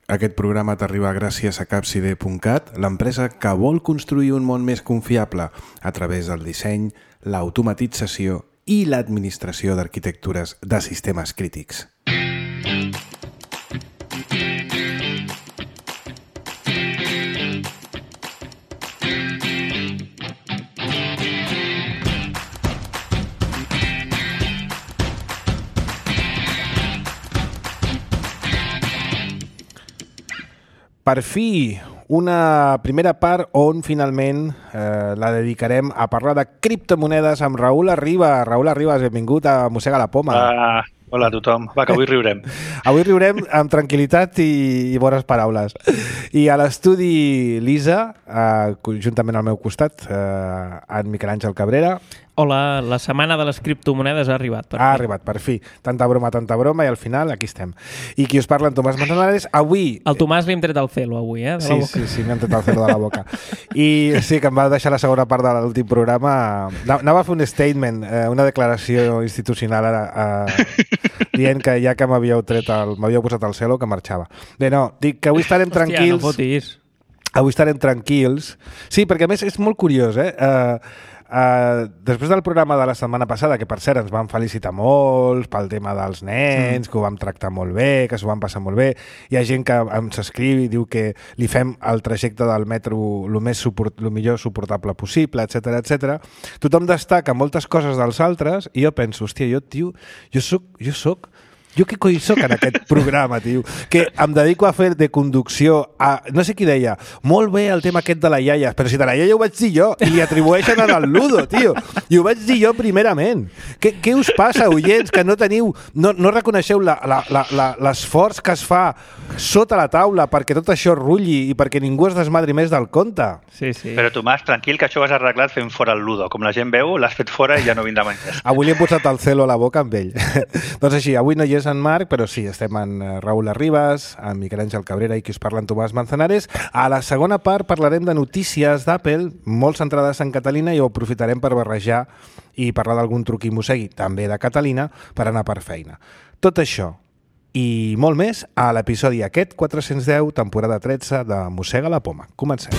Aquest programa t'arriba gràcies a Capcide.cat, l'empresa que vol construir un món més confiable a través del disseny, l'automatització i l'administració d'arquitectures de sistemes crítics. Per fi, una primera part on finalment la dedicarem a parlar de criptomonedes amb Raül Arribas. Raül Arribas, benvingut a Mossega la Poma. Hola a tothom. Va, que avui riurem. Avui riurem amb tranquil·litat i bones paraules. I a l'estudi Lisa, juntament al meu costat, en Miquel Àngel Cabrera. Hola, la setmana de les criptomonedes ha arribat. Ha arribat, per fi. Tanta broma, i al final aquí estem. I qui us parla, en Tomàs Manzanares, avui... El Tomàs li hem tret el celo avui, de la boca. Sí, m'hem tret el celo de la boca. I sí, que em va deixar la segona part de l'últim programa. Anava a fer un statement, una declaració institucional dient que ja que m'havíeu posat el celo, que marxava. Bé, no, dic que avui estarem tranquils. Hòstia, no fotis. Avui estarem tranquils. Sí, perquè a més és molt curiós, després del programa de la setmana passada, que per cert ens van felicitar molts pel tema dels nens, que ho vam tractar molt bé, que s'ho van passar molt bé, hi ha gent que ens escriu i diu que li fem el trajecte del metro el millor suportable possible, etc. Tothom destaca moltes coses dels altres i jo penso, hòstia, jo què coi soc en aquest programa, tio? Que em dedico a fer de conducció a... No sé qui deia, molt bé el tema aquest de la iaia, però si de la iaia ho vaig dir jo i li atribueixen al Ludo, tio. I ho vaig dir jo primerament. Què us passa, oients, que no teniu... No reconeixeu l'esforç que es fa sota la taula perquè tot això rulli i perquè ningú es desmadri més del compte? Sí. Però Tomàs, tranquil, que això ho has arreglat fent fora el Ludo. Com la gent veu, l'has fet fora i ja no vindrà mai més. Avui li hem posat el celo a la boca amb ell. Doncs així, avui no hi és en Marc, però sí, estem en Raül Arribas, en Miquel Àngel Cabrera i qui us parla en Tomàs Manzanares. A la segona part parlarem de notícies d'Apple, molt centrades en Catalina, i ho aprofitarem per barrejar i parlar d'algun truc i mossegui, també de Catalina, per anar per feina. Tot això i molt més a l'episodi aquest 410, temporada 13 de Mossega la Poma. Comencem.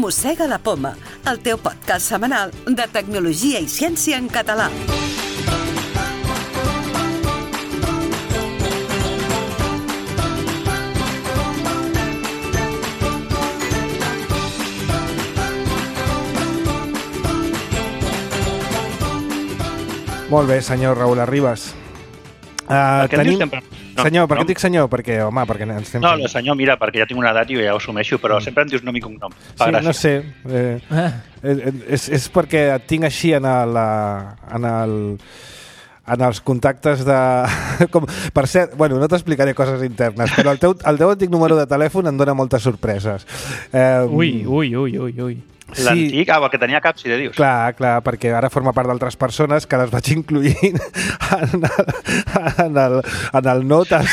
Mossega la Poma, el teu podcast setmanal de tecnologia i ciència en català. Molt bé, senyor Raül Arribas. Senyor, per què et dic senyor? Perquè, home, perquè ens estem... No, senyor, mira, perquè ja tinc una edat i ja ho assumeixo, però sempre em dius nom i cognom. Sí, no sé. És perquè et tinc així en els contactes de... Per cert, bueno, no t'explicaré coses internes, però el teu antic número de telèfon em dona moltes sorpreses. Ui. L'antic? El que tenia Capcide, dius? Clar, perquè ara forma part d'altres persones que les vaig incluint en el notas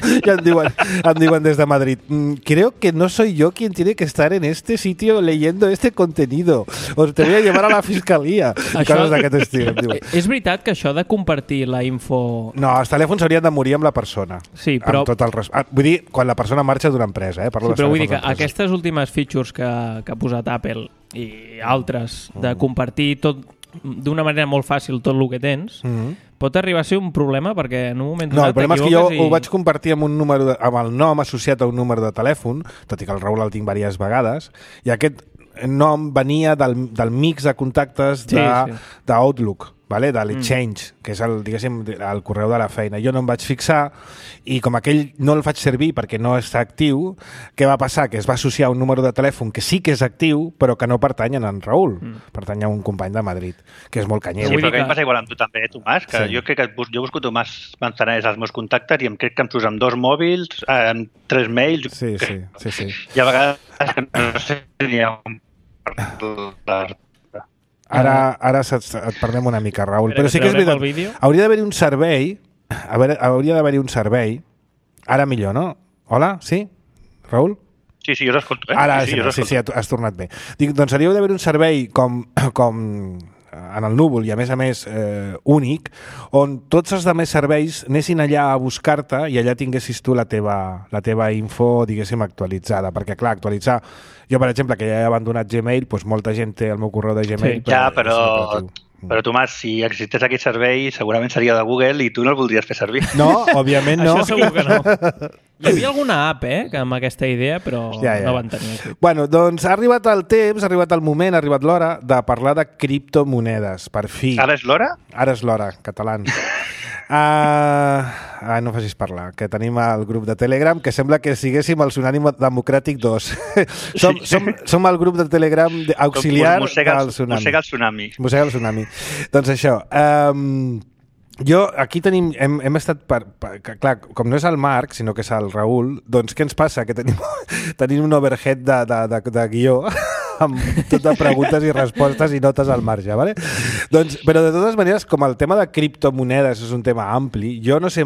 i em diuen des de Madrid, creo que no soy yo quien tiene que estar en este sitio leyendo este contenido, os te voy a llevar a la fiscalía. Coses d'aquest estil, em diuen. És veritat que això de compartir la info... No, els telèfons haurien de morir amb la persona. Sí, però... Vull dir, quan la persona marxa d'una empresa. Sí, però vull dir que aquestes últimes features que ha posat Apple i altres de compartir tot d'una manera molt fàcil tot el que tens, pot arribar a ser un problema perquè en un moment donat... No, el problema és que jo ho vaig compartir amb amb el nom associat a un número de telèfon, tot i que el Raül el tinc diverses vegades, i aquest nom venia del mix de contactes d'Outlook, de l'Exchange, que és el correu de la feina. Jo no em vaig fixar i com aquell no el faig servir perquè no està actiu, què va passar? Que es va associar a un número de telèfon que sí que és actiu però que no pertany a en Raül, pertany a un company de Madrid, que és molt canyer. Sí, però que em passa igual amb tu també, Tomàs, que jo crec que jo busco Tomàs Manzanares als meus contactes i em crec que em surts amb 2 mòbils, amb 3 mails... Sí. I a vegades no sé ni on parlar. Ara et perdem una mica, Raül. Però sí que és veritat. Hauria d'haver-hi un servei. Ara millor, no? Hola? Sí? Raül? Sí, jo us escolto, Ara, sí, has tornat bé. Dic, doncs hauríeu d'haver un servei com en el núvol i a més únic, on tots els altres serveis anessin allà a buscar-te i allà tinguessis tu la teva info, diguéssim, actualitzada. Perquè, clar, actualitzar... Jo, per exemple, que ja he abandonat Gmail, doncs molta gent té el meu correu de Gmail. Sí, ja, però Tomàs, si existés aquest servei, segurament seria de Google i tu no el voldries fer servir. No, òbviament no. Això segur que no. Hi havia alguna app, amb aquesta idea, però no van tenir. Bueno, doncs ha arribat el temps, ha arribat el moment, ha arribat l'hora de parlar de criptomonedes, per fi. Ara és l'hora? Ara és l'hora, catalans. No facis parlar, que tenim el grup de Telegram, que sembla que siguéssim el Tsunami Democràtic 2. som el grup de Telegram auxiliar del Tsunami. Mossega el Tsunami. Mossega el Tsunami. Doncs això, aquí hem estat, clar, com no és el Marc, sinó que és el Raül, doncs què ens passa? Que tenim un overhead de guió amb tot de preguntes i respostes i notes al marge, ¿vale? Doncs, però de totes maneres, com el tema de criptomonedes és un tema ampli, jo no sé,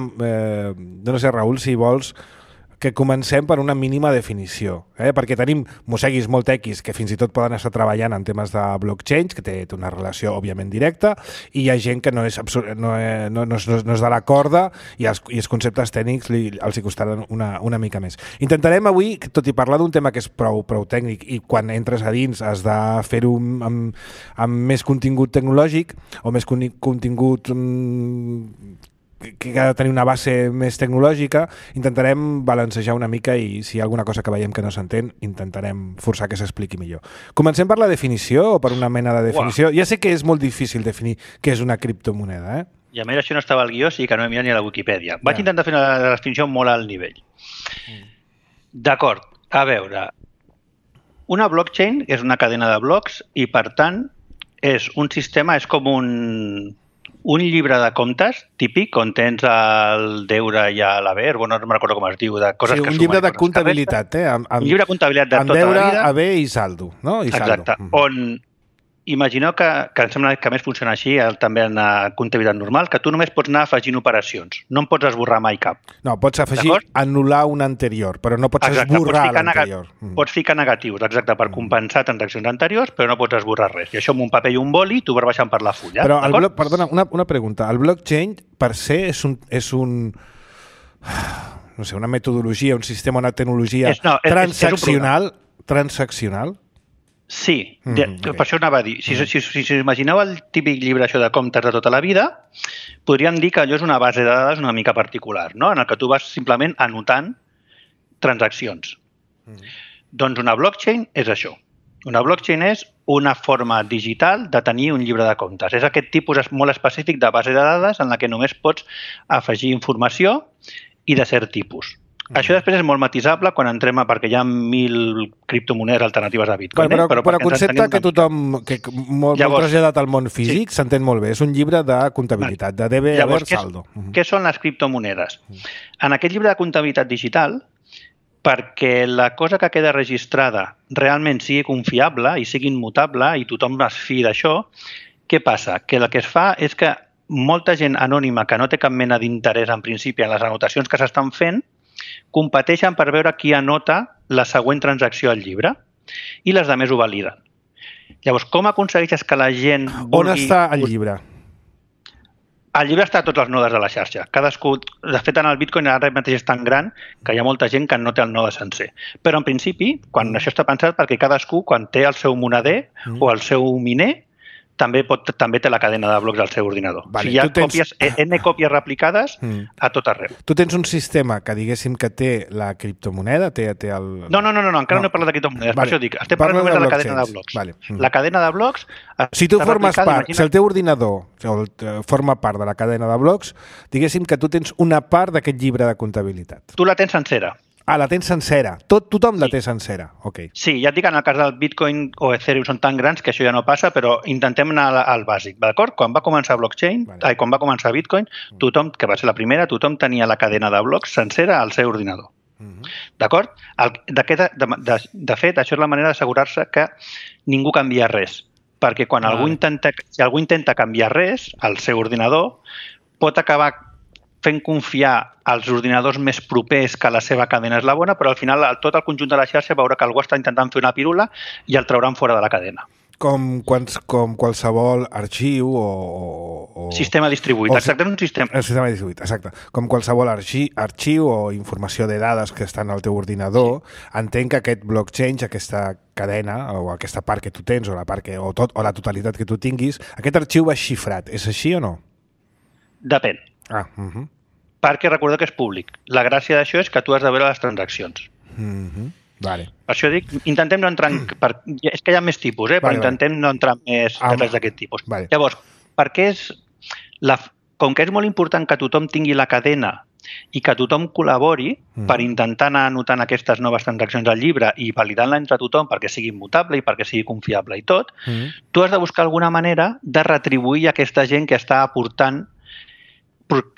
Raül, si vols que comencem per una mínima definició, perquè tenim mosseguis molt tequis que fins i tot poden estar treballant en temes de blockchain, que té una relació òbviament directa, i hi ha gent que no és de la corda i els conceptes tècnics els hi costaran una mica més. Intentarem avui, tot i parlar d'un tema que és prou tècnic i quan entres a dins has de fer-ho amb més contingut tecnològic o més contingut que ha de tenir una base més tecnològica, intentarem balancejar una mica i si hi ha alguna cosa que veiem que no s'entén, intentarem forçar que s'expliqui millor. Comencem per la definició o per una mena de definició? Ja sé que és molt difícil definir què és una criptomoneda, I a més això no estava al guió, sí que no he mirat ni a la Wikipedia. Vaig intentar fer una definició molt alt nivell. D'acord, a veure, una blockchain és una cadena de blocs i, per tant, és un sistema, és com un llibre de comptes típic on tens el deure i l'haver, no me'n recordo com es diu, de coses que sumen. Sí, un llibre de comptabilitat, un llibre de comptabilitat de tota la vida. Amb deure, haver i saldo, no? Exacte, on imagineu que em sembla que més funciona així també en la comptabilitat normal, que tu només pots anar afegint operacions, no en pots esborrar mai cap. No, pots afegir, anul·lar un anterior, però no pots esborrar l'anterior. Pots ficar negatius, exacte, per compensar transaccions anteriors, però no pots esborrar res. I això amb un paper i un boli tu vas baixant per la fulla. Però, perdona, una pregunta. El blockchain, per se, és una metodologia, un sistema, una tecnologia transaccional? Sí, per això anava a dir. Si imagineu el típic llibre això de comptes de tota la vida, podríem dir que allò és una base de dades una mica particular, no? En el que tu vas simplement anotant transaccions. Doncs una blockchain és això. Una blockchain és una forma digital de tenir un llibre de comptes. És aquest tipus molt específic de base de dades en la que només pots afegir informació i de cert tipus. Això després és molt matisable quan entrem perquè hi ha 1.000 criptomonedes alternatives a Bitcoin. Però el concepte que tothom, que molt traslladat al món físic, s'entén molt bé. És un llibre de comptabilitat, de debe, haver, saldo. Què són les criptomonedes? En aquest llibre de comptabilitat digital, perquè la cosa que queda registrada realment sigui confiable i sigui immutable i tothom es fiï d'això, què passa? Que el que es fa és que molta gent anònima que no té cap mena d'interès en principi en les anotacions que s'estan fent competeixen per veure qui anota la següent transacció al llibre i les altres ho validen. Llavors, com aconsegueixes que la gent vulgui... On està el llibre? El llibre està a tots els nodes de la xarxa. Cadascú, de fet, en el Bitcoin ara mateix és tan gran que hi ha molta gent que no té el node sencer. Però, en principi, quan això està pensat perquè cadascú, quan té el seu moneder o el seu miner, també té la cadena de blocs al seu ordinador. Vale, hi ha N còpies replicades a tot arreu. Tu tens un sistema que diguéssim que té la criptomoneda, té el... No, encara no he parlat de criptomonedes, per això dic, estem parlant només de la cadena de blocs. La cadena de blocs... Si tu formes part, si el teu ordinador forma part de la cadena de blocs, diguéssim que tu tens una part d'aquest llibre de comptabilitat. Tu la tens sencera. La tens sencera. Tothom la té sencera. Okay. Sí, ja et dic, en el cas del Bitcoin o Ethereum són tan grans que això ja no passa, però intentem anar al bàsic. D'acord? Quan va començar blockchain, quan va començar Bitcoin, tothom, que va ser la primera, tothom tenia la cadena de blocs sencera al seu ordinador. D'acord? De fet, això és la manera d'assegurar-se que ningú canvia res. Perquè quan si algú intenta canviar res al seu ordinador, pot acabar fent confiar als ordinadors més propers que la seva cadena és la bona, però al final tot el conjunt de la xarxa veurà que algú està intentant fer una pirula i el trauran fora de la cadena. Com qualsevol arxiu o... Sistema distribuït, exacte, és un sistema. El sistema distribuït, exacte. Com qualsevol arxiu o informació de dades que estan al teu ordinador, entenc que aquest blockchain, aquesta cadena o aquesta part que tu tens o la la totalitat que tu tinguis, aquest arxiu va xifrat. És així o no? Depèn. Perquè recorda que és públic. La gràcia d'això és que tu has de veure les transaccions. Vale. Per això dic, intentem no entrar en... És que hi ha més tipus, però intentem no entrar en més detalls d'aquest tipus. Vale. Llavors, perquè com que és molt important que tothom tingui la cadena i que tothom col·labori per intentar anar anotant aquestes noves transaccions al llibre i validant-la entre tothom perquè sigui immutable i perquè sigui confiable i tot, tu has de buscar alguna manera de retribuir aquesta gent que està aportant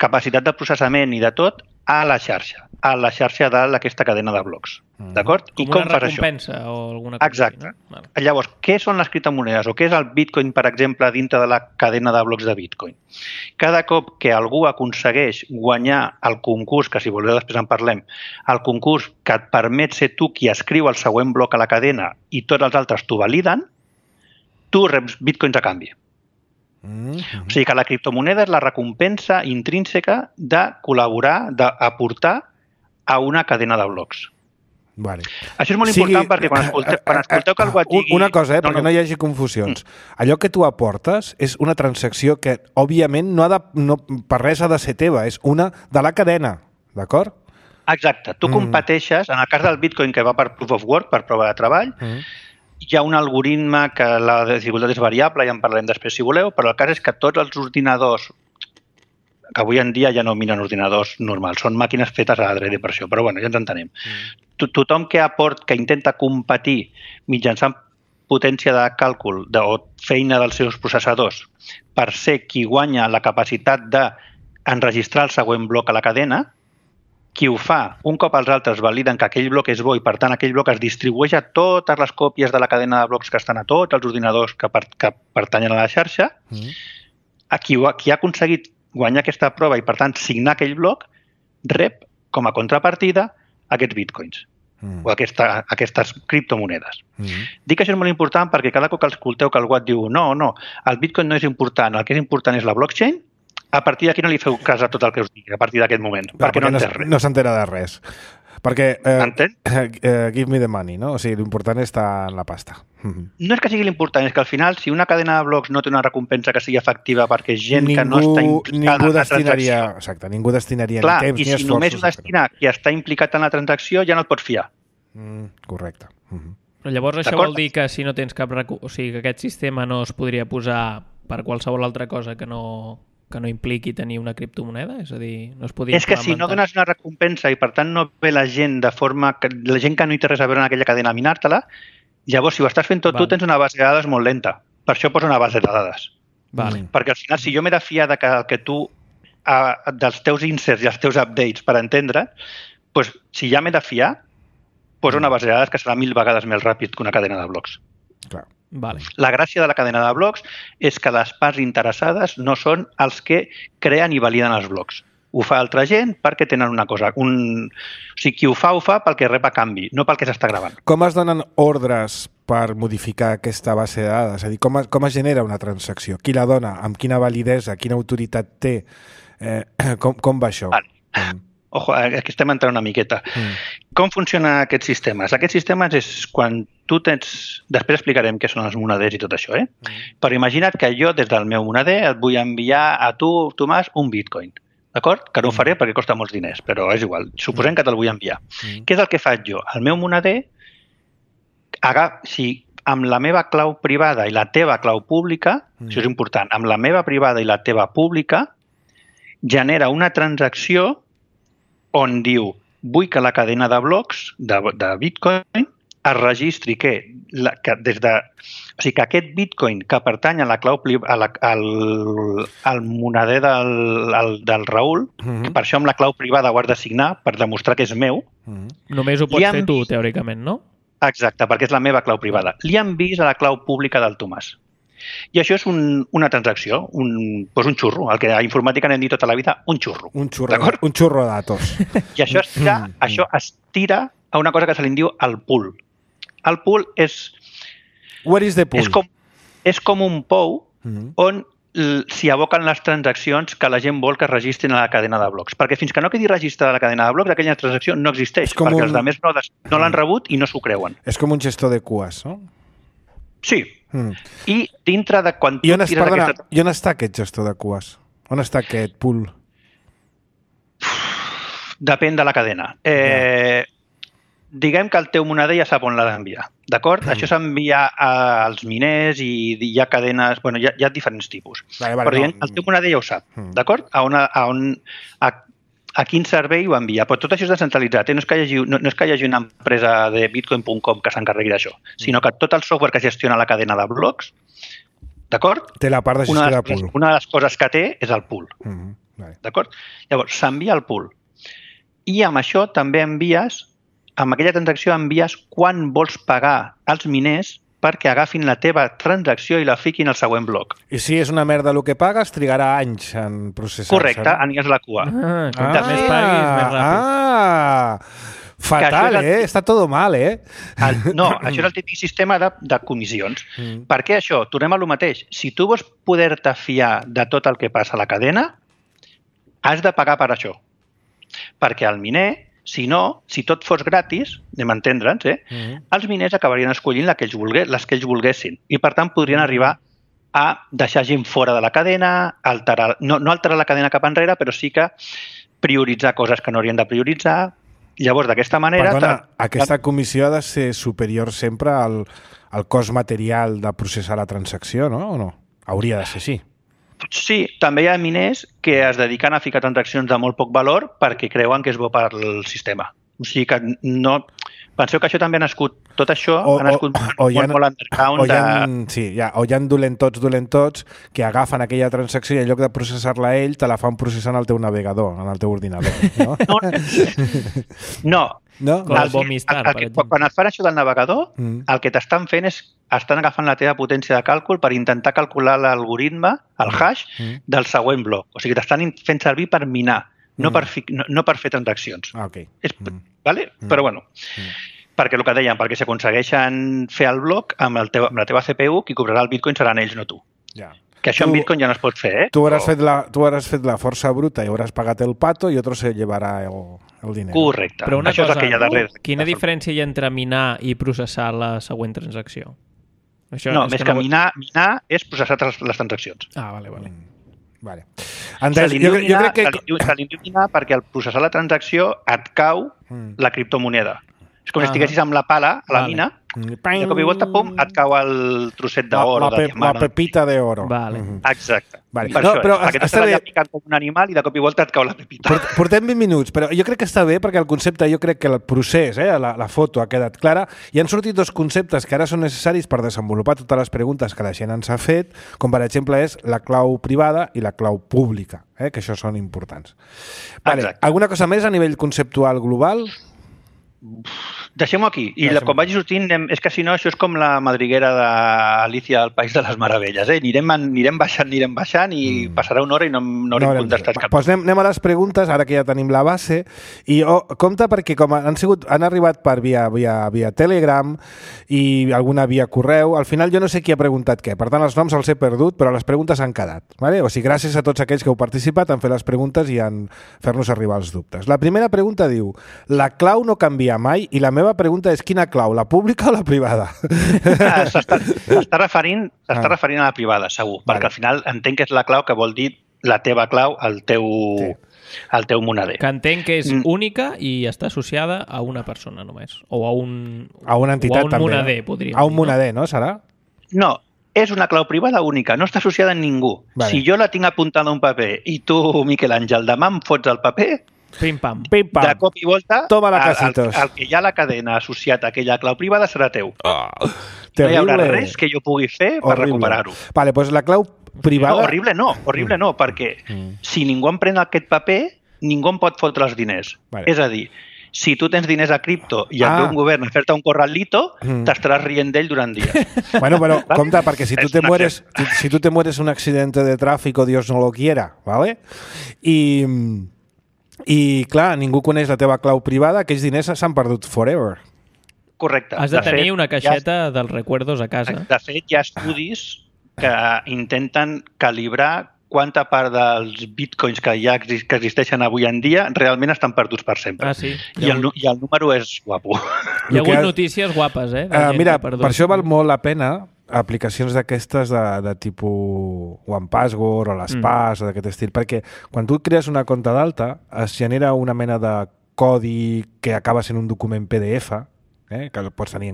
capacitat de processament i de tot a la xarxa d'aquesta cadena de blocs. D'acord? Com una recompensa o alguna cosa. Exacte. Així, no? Llavors, què són les criptomonedes o què és el Bitcoin, per exemple, dintre de la cadena de blocs de Bitcoin? Cada cop que algú aconsegueix guanyar el concurs, que si voleu després en parlem, el concurs que et permet ser tu qui escriu el següent bloc a la cadena i tots els altres t'ho validen, tu reps Bitcoins a canvi. O sigui que la criptomoneda és la recompensa intrínseca de col·laborar, d'aportar a una cadena de blocs. Vale. Això és molt important perquè quan escolteu que algú et digui... Una cosa, perquè no hi hagi confusions. Allò que tu aportes és una transacció que, òbviament, per res ha de ser teva, és una de la cadena, d'acord? Exacte. Tu competeixes, en el cas del Bitcoin, que va per Proof of Work, per prova de treball, hi ha un algoritme que la dificultat és variable, ja en parlarem després si voleu, però el cas és que tots els ordinadors, que avui en dia ja no miren ordinadors normals, són màquines fetes a l'adrede per això, però bueno, ja ens entenem. Tothom que intenta competir mitjançant potència de càlcul o feina dels seus processadors per ser qui guanya la capacitat d'enregistrar el següent bloc a la cadena, qui ho fa, un cop els altres validen que aquell bloc és bo i per tant aquell bloc es distribueix a totes les còpies de la cadena de blocs que estan a tots els ordinadors que pertanyen a la xarxa, qui ha aconseguit guanyar aquesta prova i per tant signar aquell bloc, rep com a contrapartida aquests bitcoins o aquestes criptomonedes. Dic que això és molt important perquè cada cop que escolteu que algú et diu no, el bitcoin no és important, el que és important és la blockchain, a partir d'aquí no li feu cas a tot el que us digui, a partir d'aquest moment, perquè no entén res. No s'entera de res. Perquè give me the money, no? O sigui, l'important està en la pasta. No és que sigui l'important, és que al final, si una cadena de blocs no té una recompensa que sigui efectiva perquè gent que no està implicada en la transacció... Exacte, ningú destinaria ni temps ni esforços. I si només ho destina qui està implicat en la transacció, ja no et pots fiar. Correcte. Però llavors això vol dir que si no tens cap... O sigui, que aquest sistema no es podria posar per qualsevol altra cosa que no impliqui tenir una criptomoneda? És a dir, no es podria... És que si no dones una recompensa i per tant no ve la gent de forma... La gent que no hi té res a veure en aquella cadena a minar-te-la, llavors si ho estàs fent tot tu tens una base de dades molt lenta. Per això posa una base de dades. Perquè al final si jo m'he de fiar de que tu dels teus inserts i els teus updates per entendre, doncs si ja m'he de fiar, posa una base de dades que serà 1000 vegades més ràpid que una cadena de blocs. Clar. La gràcia de la cadena de blocs és que les parts interessades no són els que creen i validen els blocs. Ho fa altra gent perquè tenen una cosa. O sigui, qui ho fa pel que rep a canvi, no pel que s'està gravant. Com es donen ordres per modificar aquesta base de dades? És a dir, com es genera una transacció? Qui la dona? Amb quina validesa? Quina autoritat té? Com va això? Ojo, aquí estem entrant una miqueta. Com funcionen aquests sistemes? Aquests sistemes és quan tu tens... Després explicarem què són els moneders i tot això, Però imagina't que jo, des del meu moneder, et vull enviar a tu, Tomàs, un bitcoin. D'acord? Que no ho faré perquè costa molts diners, però és igual. Suposem que te'l vull enviar. Què és el que faig jo? El meu moneder, si amb la meva clau privada i la teva clau pública, això és important, amb la meva privada i la teva pública, genera una transacció on diu, vull que la cadena de blocs de Bitcoin es registri que aquest Bitcoin que pertany a la clau al moneder del Raül, que per això amb la clau privada ho has de signar per demostrar que és meu. Només ho pots fer tu, teòricament, no? Exacte, perquè és la meva clau privada. Li han vist a la clau pública del Tomàs. I això és una transacció, un xurro, el que a informàtica n'hem dit tota la vida, un xurro. Un xurro de datos. I això es tira a una cosa que se li diu el pool. El pool és... What is the pool? És com un pou on s'hi aboquen les transaccions que la gent vol que es registrin a la cadena de blocs. Perquè fins que no quedi registrada la cadena de blocs, aquella transacció no existeix, perquè els altres no l'han rebut i no s'ho creuen. És com un gestor de cues, no? Sí. I dintre de quan I on està aquest gestor de cues? On està aquest pool? Depèn de la cadena. Diguem que el teu moneder ja sap on l'ha d'enviar, d'acord? Això s'envia als miners i hi ha cadenes... Bueno, hi ha diferents tipus. Però el teu moneder ja ho sap, d'acord? A quin servei ho envia. Però tot això és descentralitzat. No és que hi hagi una empresa de bitcoin.com que s'encarregui d'això, sinó que tot el software que gestiona la cadena de blocs, d'acord? Té la part de gestió de pool. Una de les coses que té és el pool, d'acord? Llavors, s'envia el pool. I amb això també amb aquella transacció envies quan vols pagar als miners perquè agafin la teva transacció i la fiquin al següent bloc. I si és una merda el que pagues, trigarà anys en processar-se. Correcte, aniràs a la cua. Quantes més paguis, més ràpid. Fatal, Està tot mal, No, això és el típic sistema de comissions. Per què això? Tornem a lo mateix. Si tu vols poder-te fiar de tot el que passa a la cadena, has de pagar per això. Perquè el miner, si tot fos gratis, anem a entendre'ns, els miners acabarien escollint les que ells volguessin. I, per tant, podrien arribar a deixar gent fora de la cadena, no alterar la cadena cap enrere, però sí que prioritzar coses que no haurien de prioritzar. Llavors, d'aquesta manera... Perdona, aquesta comissió ha de ser superior sempre al cost material de processar la transacció, no? O no? Hauria de ser, sí. Sí, també hi ha miners que es dediquen a ficar transaccions de molt poc valor perquè creuen que és bo per al sistema. O sigui que no... Penseu que això també ha nascut... Tot això ha nascut molt underground. O hi ha dolentots que agafen aquella transacció i en lloc de processar-la ell, te la fan processar en el teu navegador, en el teu ordinador. No. Quan et fan això del navegador, el que t'estan fent és estan agafant la teva potència de càlcul per intentar calcular l'algoritme, el hash, del següent bloc. O sigui, t'estan fent servir per minar, no per fer transaccions. Però bueno, perquè el que dèiem, perquè si aconsegueixen fer el bloc amb la teva CPU, qui cobrarà el bitcoin seran ells, no tu. Que això en bitcoin ja no es pot fer, Tu hauràs fet la força bruta i hauràs pagat el pato i otro se llevarà el diner. Correcte. Però una cosa, quina diferència hi ha entre minar i processar la següent transacció? No, més que minar és processar les transaccions. Vale. Andrés, jo crec que... Se li diu minar perquè al processar la transacció et cau la criptomoneda. És com si estiguessis amb la pala a la mina i de cop i volta, pum, et cau el trosset d'or o de diamant. La pepita d'oro. Exacte. Per això és, perquè t'estàs allà picant com un animal i de cop i volta et cau la pepita. Portem 20 minuts, però jo crec que està bé perquè el concepte, jo crec que el procés, la foto ha quedat clara i han sortit dos conceptes que ara són necessaris per desenvolupar totes les preguntes que la gent ens ha fet, com per exemple és la clau privada i la clau pública, que això són importants. Alguna cosa més a nivell conceptual global? Deixem-ho aquí. I quan vagi sortint, és que si no, això és com la madriguera d'Alicia al País de les Meravelles. Anirem baixant i passarà una hora i no haurem contestat cap. Doncs anem a les preguntes, ara que ja tenim la base. I compte perquè com han arribat per via Telegram i alguna via correu, al final jo no sé qui ha preguntat què. Per tant, els noms els he perdut, però les preguntes han quedat. O sigui, gràcies a tots aquells que heu participat en fer les preguntes i en fer-nos arribar els dubtes. La primera pregunta diu: la clau no canvia mai i la meva pregunta és quina clau, la pública o la privada? S'està referint a la privada, segur, perquè al final entenc que és la clau que vol dir la teva clau al teu moneder. Que entenc que és única i està associada a una persona només, o a una entitat també. Moneder, podríem dir. A un moneder, no? Serà? No, és una clau privada única, no està associada a ningú. Si jo la tinc apuntada a un paper i tu, Miquel Àngel, demà em fots el paper, pim-pam. De cop i volta, el que hi ha la cadena associat a aquella clau privada serà teu. No hi haurà res que jo pugui fer per recuperar-ho. Vale, doncs la clau privada... No, horrible no, perquè si ningú em pren aquest paper, ningú em pot fotre els diners. És a dir, Si tu tens diners a cripto i et ve un govern a fer-te un corralito, t'estaràs rient d'ell durant dies. Bueno, pero compte, perquè si tu te mueres un accidente de tráfico, Dios no lo quiera, ¿vale? I clar, ningú coneix la teva clau privada, aquells diners s'han perdut forever. Correcte. Has de tenir una caixeta dels recuerdos a casa. De fet, hi ha estudis que intenten calibrar quanta part dels bitcoins que existeixen avui en dia realment estan perduts per sempre. Ah, sí. I el número és guapo. Hi ha hagut notícies guapes, mira, per això val molt la pena aplicacions d'aquestes de tipus OnePassword o l'Espas o d'aquest estil, perquè quan tu crees una compte d'alta es genera una mena de codi que acaba sent un document PDF, que el pots tenir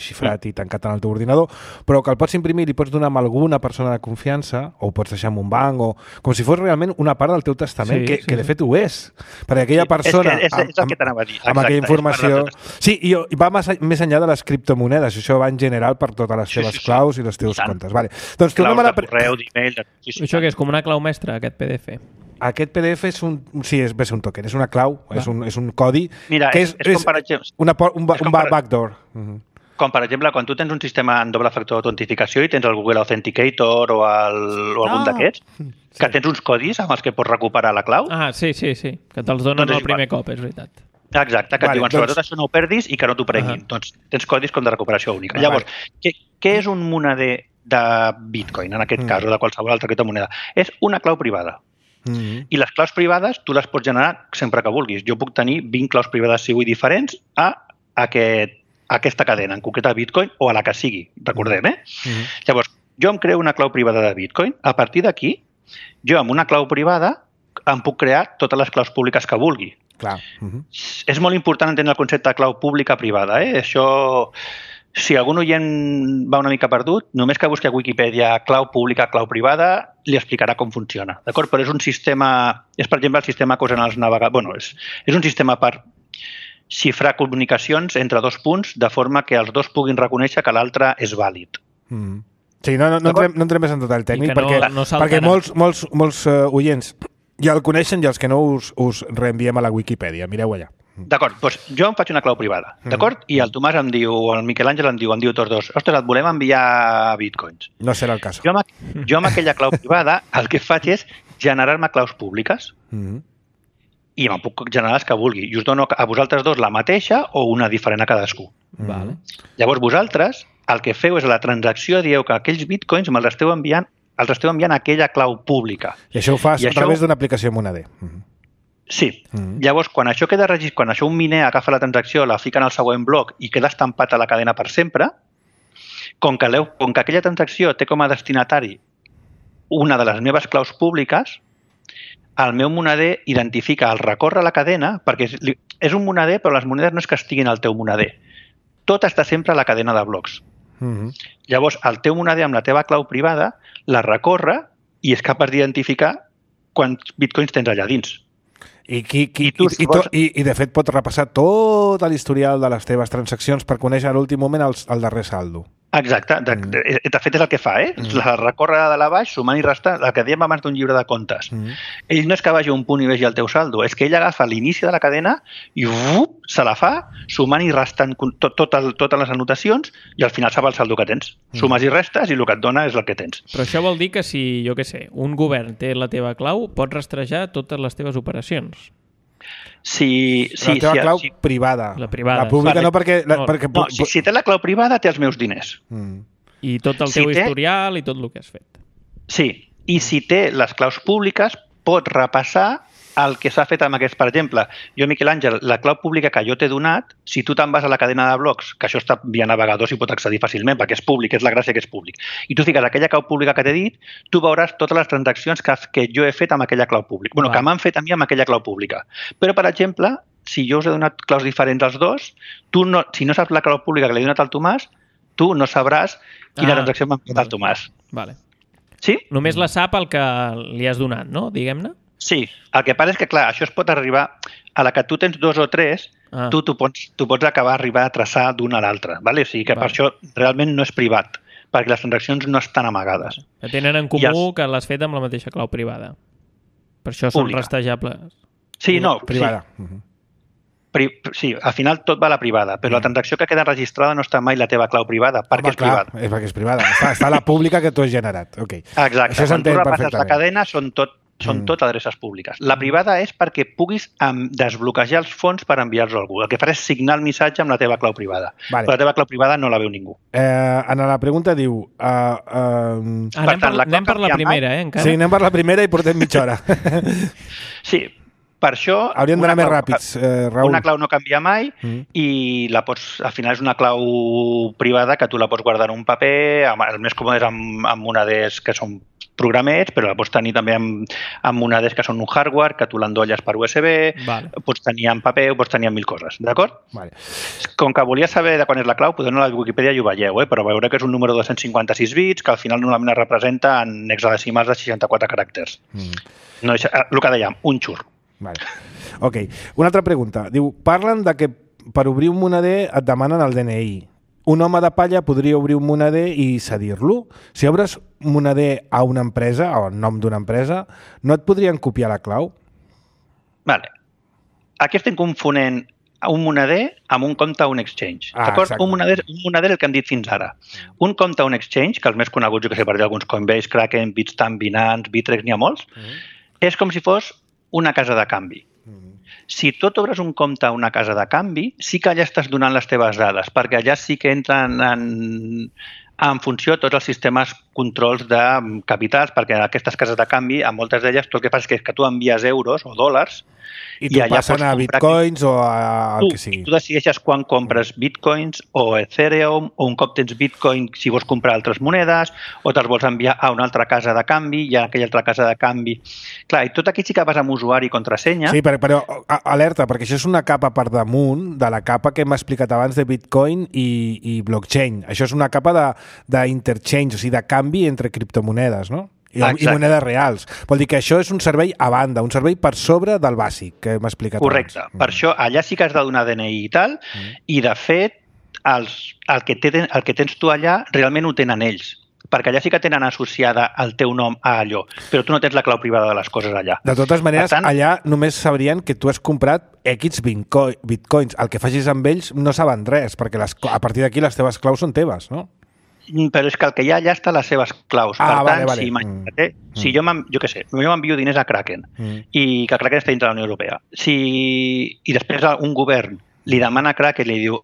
xifrat i tancat en el teu ordinador, però que el pots imprimir i pots donar a alguna persona de confiança, o ho pots deixar en un banc, o com si fos realment una part del teu testament, que de fet ho és. Perquè aquella persona... És el que t'anava a dir. Amb aquella informació... Sí, i va més enllà de les criptomonedes. Això va en general per totes les teves claus i els teus comptes. Vale. Doncs claus de correu, d'email... Això que és com una clau mestra, aquest PDF? Aquest PDF és un token, és una clau, és un codi. Mira, que és com per exemple... un backdoor. Com per exemple, quan tu tens un sistema en doble factor d'autentificació i tens el Google Authenticator o algun d'aquests, que tens uns codis amb els que pots recuperar la clau. Ah, sí, que te'ls donen el primer cop, és veritat. Exacte, que et diuen, sobretot això no ho perdis i que no t'ho prenguin. Doncs tens codis com de recuperació única. Llavors, què és un monader de Bitcoin, en aquest cas, o de qualsevol altra criptomoneda? És una clau privada. I les claus privades tu les pots generar sempre que vulguis. Jo puc tenir 20 claus privades si vull diferents a aquesta cadena, en concret a Bitcoin o a la que sigui, recordem, Llavors, jo em creo una clau privada de Bitcoin. A partir d'aquí, jo amb una clau privada em puc crear totes les claus públiques que vulgui. Clar. És molt important entendre el concepte de clau pública-privada. Això, si algun oient va una mica perdut, només que busqui a Wikipedia clau pública, clau privada, li explicarà com funciona. D'acord? Però és un sistema... És, per exemple, el sistema que usen els navegadors... Bueno, és un sistema per xifrar comunicacions entre dos punts de forma que els dos puguin reconèixer que l'altre és vàlid. Sí, no entrem més en detall tècnic, perquè molts oients ja el coneixen i els que no us reenviem a la Wikipedia. Mireu allà. D'acord, doncs jo em faig una clau privada, d'acord? I el Tomàs em diu, o el Miquel Àngel em diu tots dos, ostres, et volem enviar bitcoins. No serà el cas. Jo amb aquella clau privada el que faig és generar-me claus públiques i me'n puc generar les que vulgui. I us dono a vosaltres dos la mateixa o una diferent a cadascú. Llavors vosaltres el que feu és a la transacció dieu que aquells bitcoins me'ls esteu enviant a aquella clau pública. I això ho fas a través d'una aplicació Monader. Sí. Llavors, quan això queda registrat, quan això un miner agafa la transacció, la fica en el següent bloc i queda estampat a la cadena per sempre, com que aquella transacció té com a destinatari una de les meves claus públiques, el meu monader identifica el recórrer a la cadena, perquè és un monader, però les monedes no és que estiguin al teu monader. Tot està sempre a la cadena de blocs. Llavors, el teu monader amb la teva clau privada la recorre i és capaç d'identificar quants bitcoins tens allà dins. I de fet pots repassar tot l'historial de les teves transaccions per conèixer a l'últim moment el darrer saldo. Exacte. De fet, és el que fa, La recorre de la baix, sumant i restant, el que dèiem abans d'un llibre de comptes. Ell no és que vagi a un punt i vegi el teu saldo, és que ell agafa l'inici de la cadena i se la fa, sumant i restant totes les anotacions i al final sap el saldo que tens. Sumes i restes i el que et dona és el que tens. Però això vol dir que si, jo què sé, un govern té la teva clau, pots rastrejar totes les teves operacions. Sí, la teva clau privada. La privada. La pública no, perquè... Si té la clau privada, té els meus diners. I tot el teu historial i tot el que has fet. Sí, i si té les claus públiques, pot repassar el que s'ha fet amb aquests. Per exemple, jo, Miquel Àngel, la clau pública que jo t'he donat, si tu te'n vas a la cadena de blocs, que això està via navegador, s'hi pot accedir fàcilment, perquè és públic, és la gràcia que és públic, i tu fiques aquella clau pública que t'he dit, tu veuràs totes les transaccions que jo he fet amb aquella clau pública. Bueno, que m'han fet a mi amb aquella clau pública. Però, per exemple, si jo us he donat claus diferents als dos, si no saps la clau pública que l'he donat al Tomàs, tu no sabràs quina transacció m'ha fet el Tomàs. Vale. Sí? Només la sap el que li has donat, no? Diguem-ne. Sí, el que passa és que, clar, això es pot arribar a la que tu tens dos o tres, tu pots acabar arribar a traçar d'una a l'altra, ¿vale? O sigui que per això realment no és privat, perquè les transaccions no estan amagades. Que tenen en comú que l'has fet amb la mateixa clau privada. Per això són rastrejables. Sí, no. Privada. Sí, al final tot va a la privada, però la transacció que queda registrada no està mai la teva clau privada, perquè és privada. És perquè és privada. Està la pública que tu has generat. Okay. Exacte. Quan tu repasses la cadena són tot adreces públiques. La privada és perquè puguis desbloquejar els fons per enviar-los a algú. El que farà és signar el missatge amb la teva clau privada. Vale. Però la teva clau privada no la veu ningú. En la pregunta diu... Anem per la primera, encara? Sí, anem per la primera i portem mitja hora. Sí, per això... Hauríem d'anar més ràpids, Raül. Una clau no canvia mai i al final és una clau privada que tu la pots guardar en un paper, el més còmode és amb moneders que són programets, però la pots tenir també amb moneders que són un hardware, que tu l'endolles per USB, pots tenir en paper o pots tenir en 1000 coses, d'acord? Vale. Com que volia saber de quan és la clau, podeu anar a la Wikipedia i ho veieu, però veureu que és un número de 256 bits, que al final normalment es representa en hexadecimals de 64 caràcters. No, el que dèiem, un xur. Vale. Ok. Una altra pregunta. Diu, parlen de que per obrir un moneder et demanen el DNI. Un home de palla podria obrir un moneder i cedir-lo. Si obres un moneder a una empresa, o en nom d'una empresa, no et podrien copiar la clau? Vale. Aquí estem confonent un moneder amb un compte a un exchange. D'acord? Un moneder el que hem dit fins ara. Un compte a un exchange, que els més coneguts, jo que sé, per dir alguns Coinbase, Kraken, Bitstamp, Binance, Bittrex, n'hi ha molts, és com si fos una casa de canvi. Si tu obres un compte a una casa de canvi, sí que allà estàs donant les teves dades, perquè allà sí que entren en funció tots els sistemes controls de capitals, perquè aquestes cases de canvi, a moltes d'elles, tot el que fas és que tu envies euros o dòlars i t'ho passen a bitcoins o a el que sigui. Tu decideixes quan compres bitcoins o Ethereum, o un cop tens bitcoin si vols comprar altres monedes, o te'ls vols enviar a una altra casa de canvi i a aquella altra casa de canvi. Clar, i tot aquí sí que vas amb usuari i contrasenya. Sí, però alerta, perquè això és una capa per damunt de la capa que hem explicat abans de bitcoin i blockchain. Això és una capa d'interchange, o sigui, de canvi entre criptomonedes, no? I monedes reals. Vol dir que això és un servei a banda, un servei per sobre del bàsic que hem explicat abans. Correcte. Per això allà sí que has de donar DNI i tal, i de fet el que tens tu allà realment ho tenen ells, perquè allà sí que tenen associada el teu nom a allò, però tu no tens la clau privada de les coses allà. De totes maneres, allà només sabrien que tu has comprat X bitcoins. El que facis amb ells no saben res, perquè a partir d'aquí les teves claus són teves, no? Però és que el que hi ha allà està les seves claus. Per tant, si imagina't, si jo m'envio diners a Kraken i que Kraken està dintre de la Unió Europea, i després un govern li demana a Kraken i li diu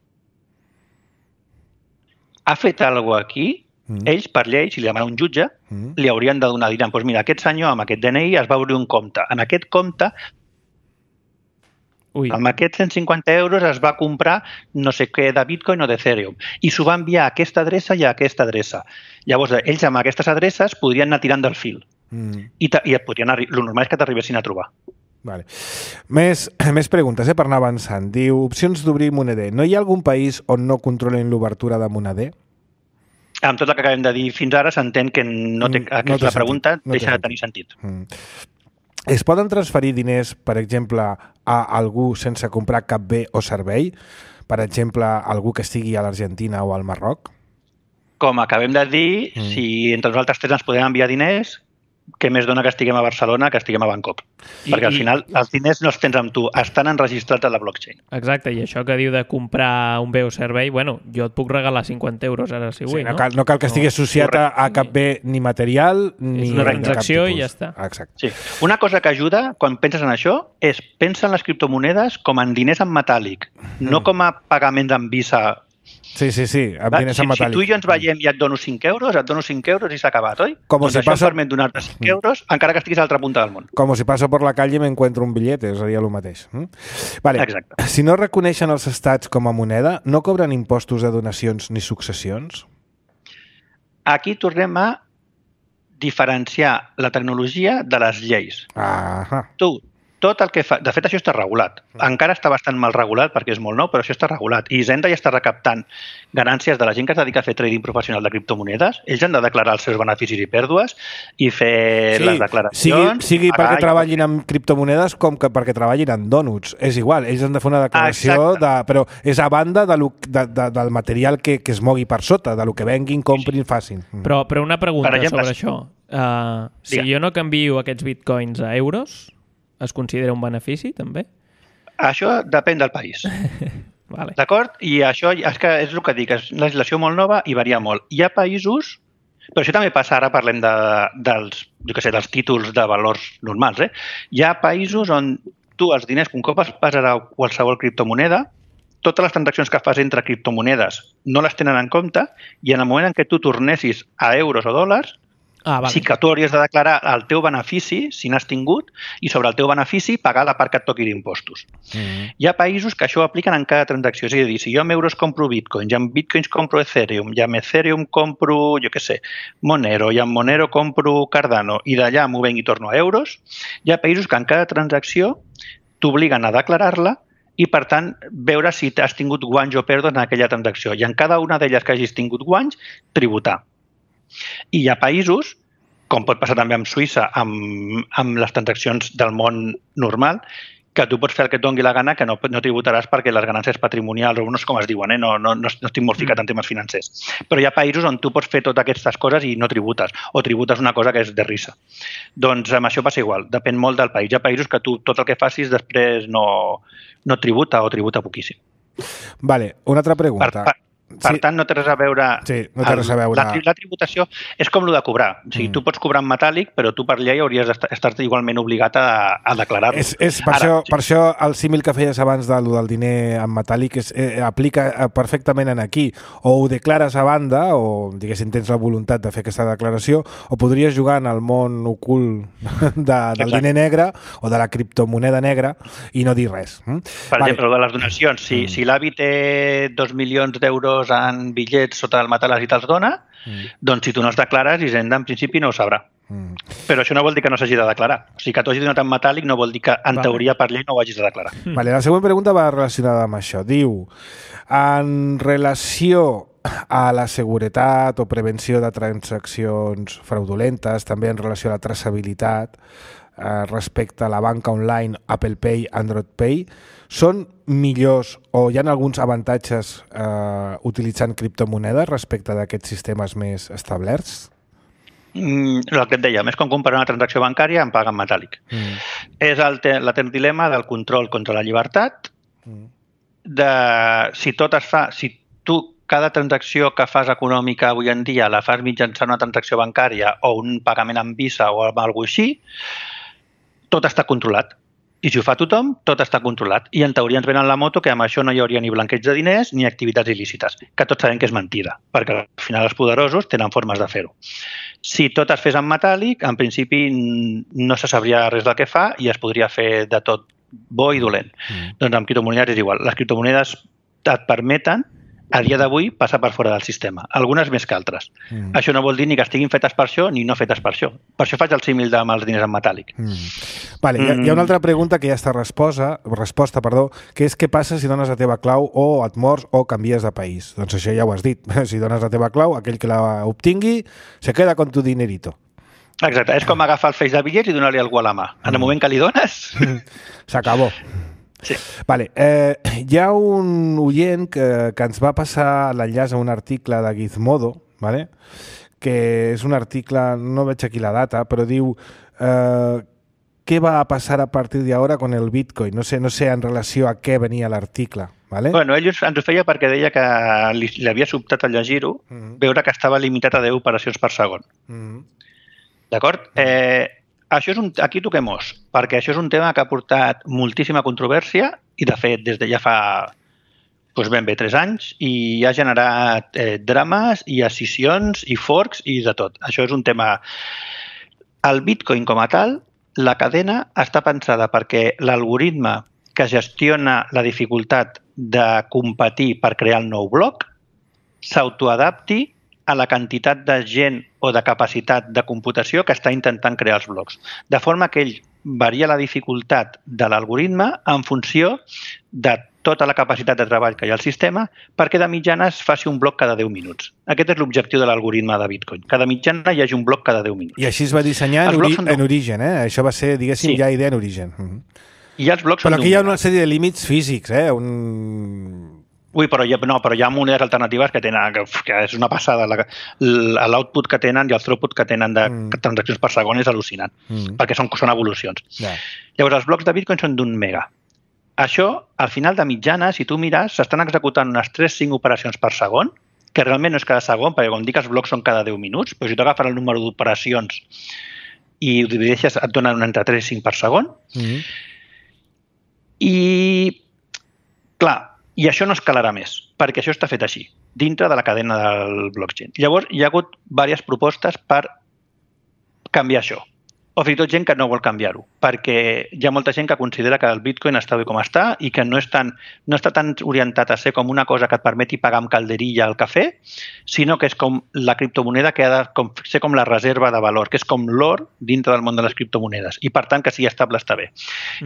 ha fet alguna cosa aquí, ells, per llei, si li demana un jutge, li haurien de donar, diran, doncs mira, aquest senyor amb aquest DNI es va obrir un compte. En aquest compte, amb aquests 150 euros es va comprar no sé què de Bitcoin o d'Ethereum i s'ho va enviar a aquesta adreça i a aquesta adreça. Llavors, ells amb aquestes adreces podrien anar tirant del fil i el normal és que t'arribessin a trobar. Vale. Més preguntes, per anar avançant. Diu, opcions d'obrir moneder. No hi ha algun país on no controlin l'obertura de moneder? Amb tot el que acabem de dir fins ara s'entén que aquesta pregunta deixa de tenir sentit. Es poden transferir diners, per exemple, a algú sense comprar cap bé o servei? Per exemple, algú que estigui a l'Argentina o al Marroc? Com acabem de dir, si entre nosaltres tres ens podem enviar diners, què més dona que estiguem a Barcelona que estiguem a Bangkok? Perquè al final els diners no els tens amb tu, estan enregistrats a la blockchain. Exacte, i això que diu de comprar un bé o servei, bueno, jo et puc regalar 50 euros ara si vull, no? No cal que estigui associat a cap bé ni material ni és una transacció i ja està. Exacte. Sí. Una cosa que ajuda quan penses en això és pensa en les criptomonedes com en diners en metàl·lic, no com a pagaments en Visa. Sí, amb diners en metàl·lic. Si tu i jo ens veiem i et dono 5 euros, i s'ha acabat, oi? Doncs això em permet donar-te 5 euros encara que estiguis a l'altra punta del món. Com si passo per la calle i m'encuentro un billete, seria el mateix. Vale. Exacte. Si no reconeixen els estats com a moneda, no cobren impostos de donacions ni successions? Aquí tornem a diferenciar la tecnologia de les lleis. Tot el que fa... De fet, això està regulat. Encara està bastant mal regulat perquè és molt nou, però això està regulat. I Hisenda ja està recaptant ganàncies de la gent que es dedica a fer trading professional de criptomonedes. Ells han de declarar els seus beneficis i pèrdues i fer les declaracions. Sigui perquè treballin amb criptomonedes com que perquè treballin en dònuts. És igual, ells han de fer una declaració, però és a banda del material que es mogui per sota, del que venguin, comprin, facin. Però una pregunta sobre això. Si jo no canvio aquests bitcoins a euros, es considera un benefici, també? Això depèn del país. Vale. D'acord? I això és el que dic, és una legislació molt nova i varia molt. Hi ha països, però això també passa, ara parlem dels títols de valors normals, Hi ha països on tu els diners, un cop es passarà qualsevol criptomoneda, totes les transaccions que fas entre criptomonedes no les tenen en compte i en el moment en què tu tornessis a euros o dòlars, sí que tu hauries de declarar el teu benefici, si n'has tingut, i sobre el teu benefici pagar la part que et toqui d'impostos. Hi ha països que això ho apliquen en cada transacció. És a dir, si jo amb euros compro bitcoins, i amb bitcoins compro Ethereum, i amb Ethereum compro, Monero, i amb Monero compro Cardano, i d'allà m'ho venc i torno a euros, hi ha països que en cada transacció t'obliguen a declarar-la i, per tant, veure si has tingut guanys o pèrdues en aquella transacció. I en cada una d'elles que hagis tingut guanys, tributar. I hi ha països, com pot passar també amb Suïssa, amb les transaccions del món normal, que tu pots fer el que et doni la gana, que no tributaràs perquè les ganàncies patrimonials, o no sé com es diuen, no estic molt ficat en temes financers. Però hi ha països on tu pots fer totes aquestes coses i no tributes, o tributes una cosa que és de risa. Doncs amb això passa igual, depèn molt del país. Hi ha països que tu tot el que facis després no tributa o tributa poquíssim. Vale, una altra pregunta. Per tant, no té res a veure... Sí, no té res a veure. La tributació és com el de cobrar. O sigui, tu pots cobrar en metàl·lic, però tu per llei hauries d'estar igualment obligat a declarar-ho. Per això el símil que feies abans del diner en metàl·lic aplica perfectament en aquí. O ho declares a banda, o diguéssim tens la voluntat de fer aquesta declaració, o podries jugar en el món ocult del diner negre o de la criptomoneda negra i no dir res. Per exemple, de les donacions. Si l'avi té 2 milions d'euros en bitllets sota el matalàs i te'ls dona, doncs si tu no els declares, Hisenda en principi no ho sabrà. Però això no vol dir que no s'hagi de declarar. O sigui, que t'ho hagi donat en metàl·lic no vol dir que en teoria per llei no ho hagis de declarar. Vale, la següent pregunta va relacionada amb això. Diu, en relació a la seguretat o prevenció de transaccions fraudulentes, també en relació a la traçabilitat respecte a la banca online, Apple Pay, Android Pay, són millors o hi ha alguns avantatges utilitzant criptomonedes respecte d'aquests sistemes més establerts? El que et dèiem, és com comparar una transacció bancària amb paga en metàl·lic. És l'etern dilema del control contra la llibertat, si tot es fa, si tu cada transacció que fas econòmica avui en dia la fas mitjançant una transacció bancària o un pagament amb Visa o alguna cosa així, tot està controlat. I si ho fa tothom, tot està controlat. I en teoria ens venen la moto que amb això no hi hauria ni blanqueig de diners ni activitats il·lícites, que tots sabem que és mentida, perquè al final els poderosos tenen formes de fer-ho. Si tot es fes en metàl·lic, en principi no se sabria res del que fa i es podria fer de tot bo i dolent. Doncs amb criptomonedes és igual. Les criptomonedes et permeten a dia d'avui passar per fora del sistema, algunes més que altres. Això no vol dir ni que estiguin fetes per això ni no fetes per això. Per això faig el símil amb els diners en metàl·lic. Vale, hi ha una altra pregunta que ja està resposta, que és què passa si dones la teva clau o et mors o canvies de país. Doncs això ja ho has dit. Si dones la teva clau, aquell que la obtingui se queda con tu dinerito. Exacte, és com agafar el feix de bitllets i donar-li algú a la mà. En el moment que li dones... S'acabó. Sí. Vale, hi ha un oient que ens va passar l'enllaç a un article de Gizmodo, vale? Que és un article, no veig aquí la data, però diu què va a passar a partir d'ara con el Bitcoin. No sé en relació a què venia l'article. Vale? Bueno, ell ens ho feia perquè deia que li havia sobtat al llegir-ho, veure que estava limitat a 10 operacions per segon. D'acord? Això aquí toquem os, perquè això és un tema que ha portat moltíssima controvèrsia i, de fet, des de ja fa ben bé 3 anys i ha generat drames i escissions i forks i de tot. Això és un tema... El Bitcoin com a tal, la cadena està pensada perquè l'algoritme que gestiona la dificultat de competir per crear el nou bloc s'autoadapti a la quantitat de gent o de capacitat de computació que està intentant crear els blocs. De forma que ell varia la dificultat de l'algoritme en funció de tota la capacitat de treball que hi ha al sistema perquè de mitjana es faci un bloc cada 10 minuts. Aquest és l'objectiu de l'algoritme de Bitcoin. Cada mitjana hi hagi un bloc cada 10 minuts. I així es va dissenyar en origen, eh? Això va ser, diguéssim, ja idea en origen. I els blocs però aquí hi ha una sèrie de límits físics, eh? Ui, però hi ha monedes alternatives que tenen, que és una passada. L'output que tenen i el throughput que tenen de transaccions per segon és al·lucinant, perquè són evolucions. Llavors, els blocs de Bitcoin són d'1 mega. Això, al final de mitjana, si tu mires, s'estan executant unes 3-5 operacions per segon, que realment no és cada segon, perquè com dic, els blocs són cada 10 minuts, però si tu agafes el número d'operacions i ho divideixes, et donen entre 3 i 5 per segon. I, clar, i això no escalarà més, perquè això està fet així, dintre de la cadena del blockchain. Llavors, hi ha hagut diverses propostes per canviar això. O fins i tot gent que no vol canviar-ho, perquè hi ha molta gent que considera que el Bitcoin està bé com està i que no està tan orientat a ser com una cosa que et permeti pagar amb calderilla al cafè, sinó que és com la criptomoneda que ha de ser com la reserva de valor, que és com l'or dintre del món de les criptomonedes, i per tant que sigui estable està bé.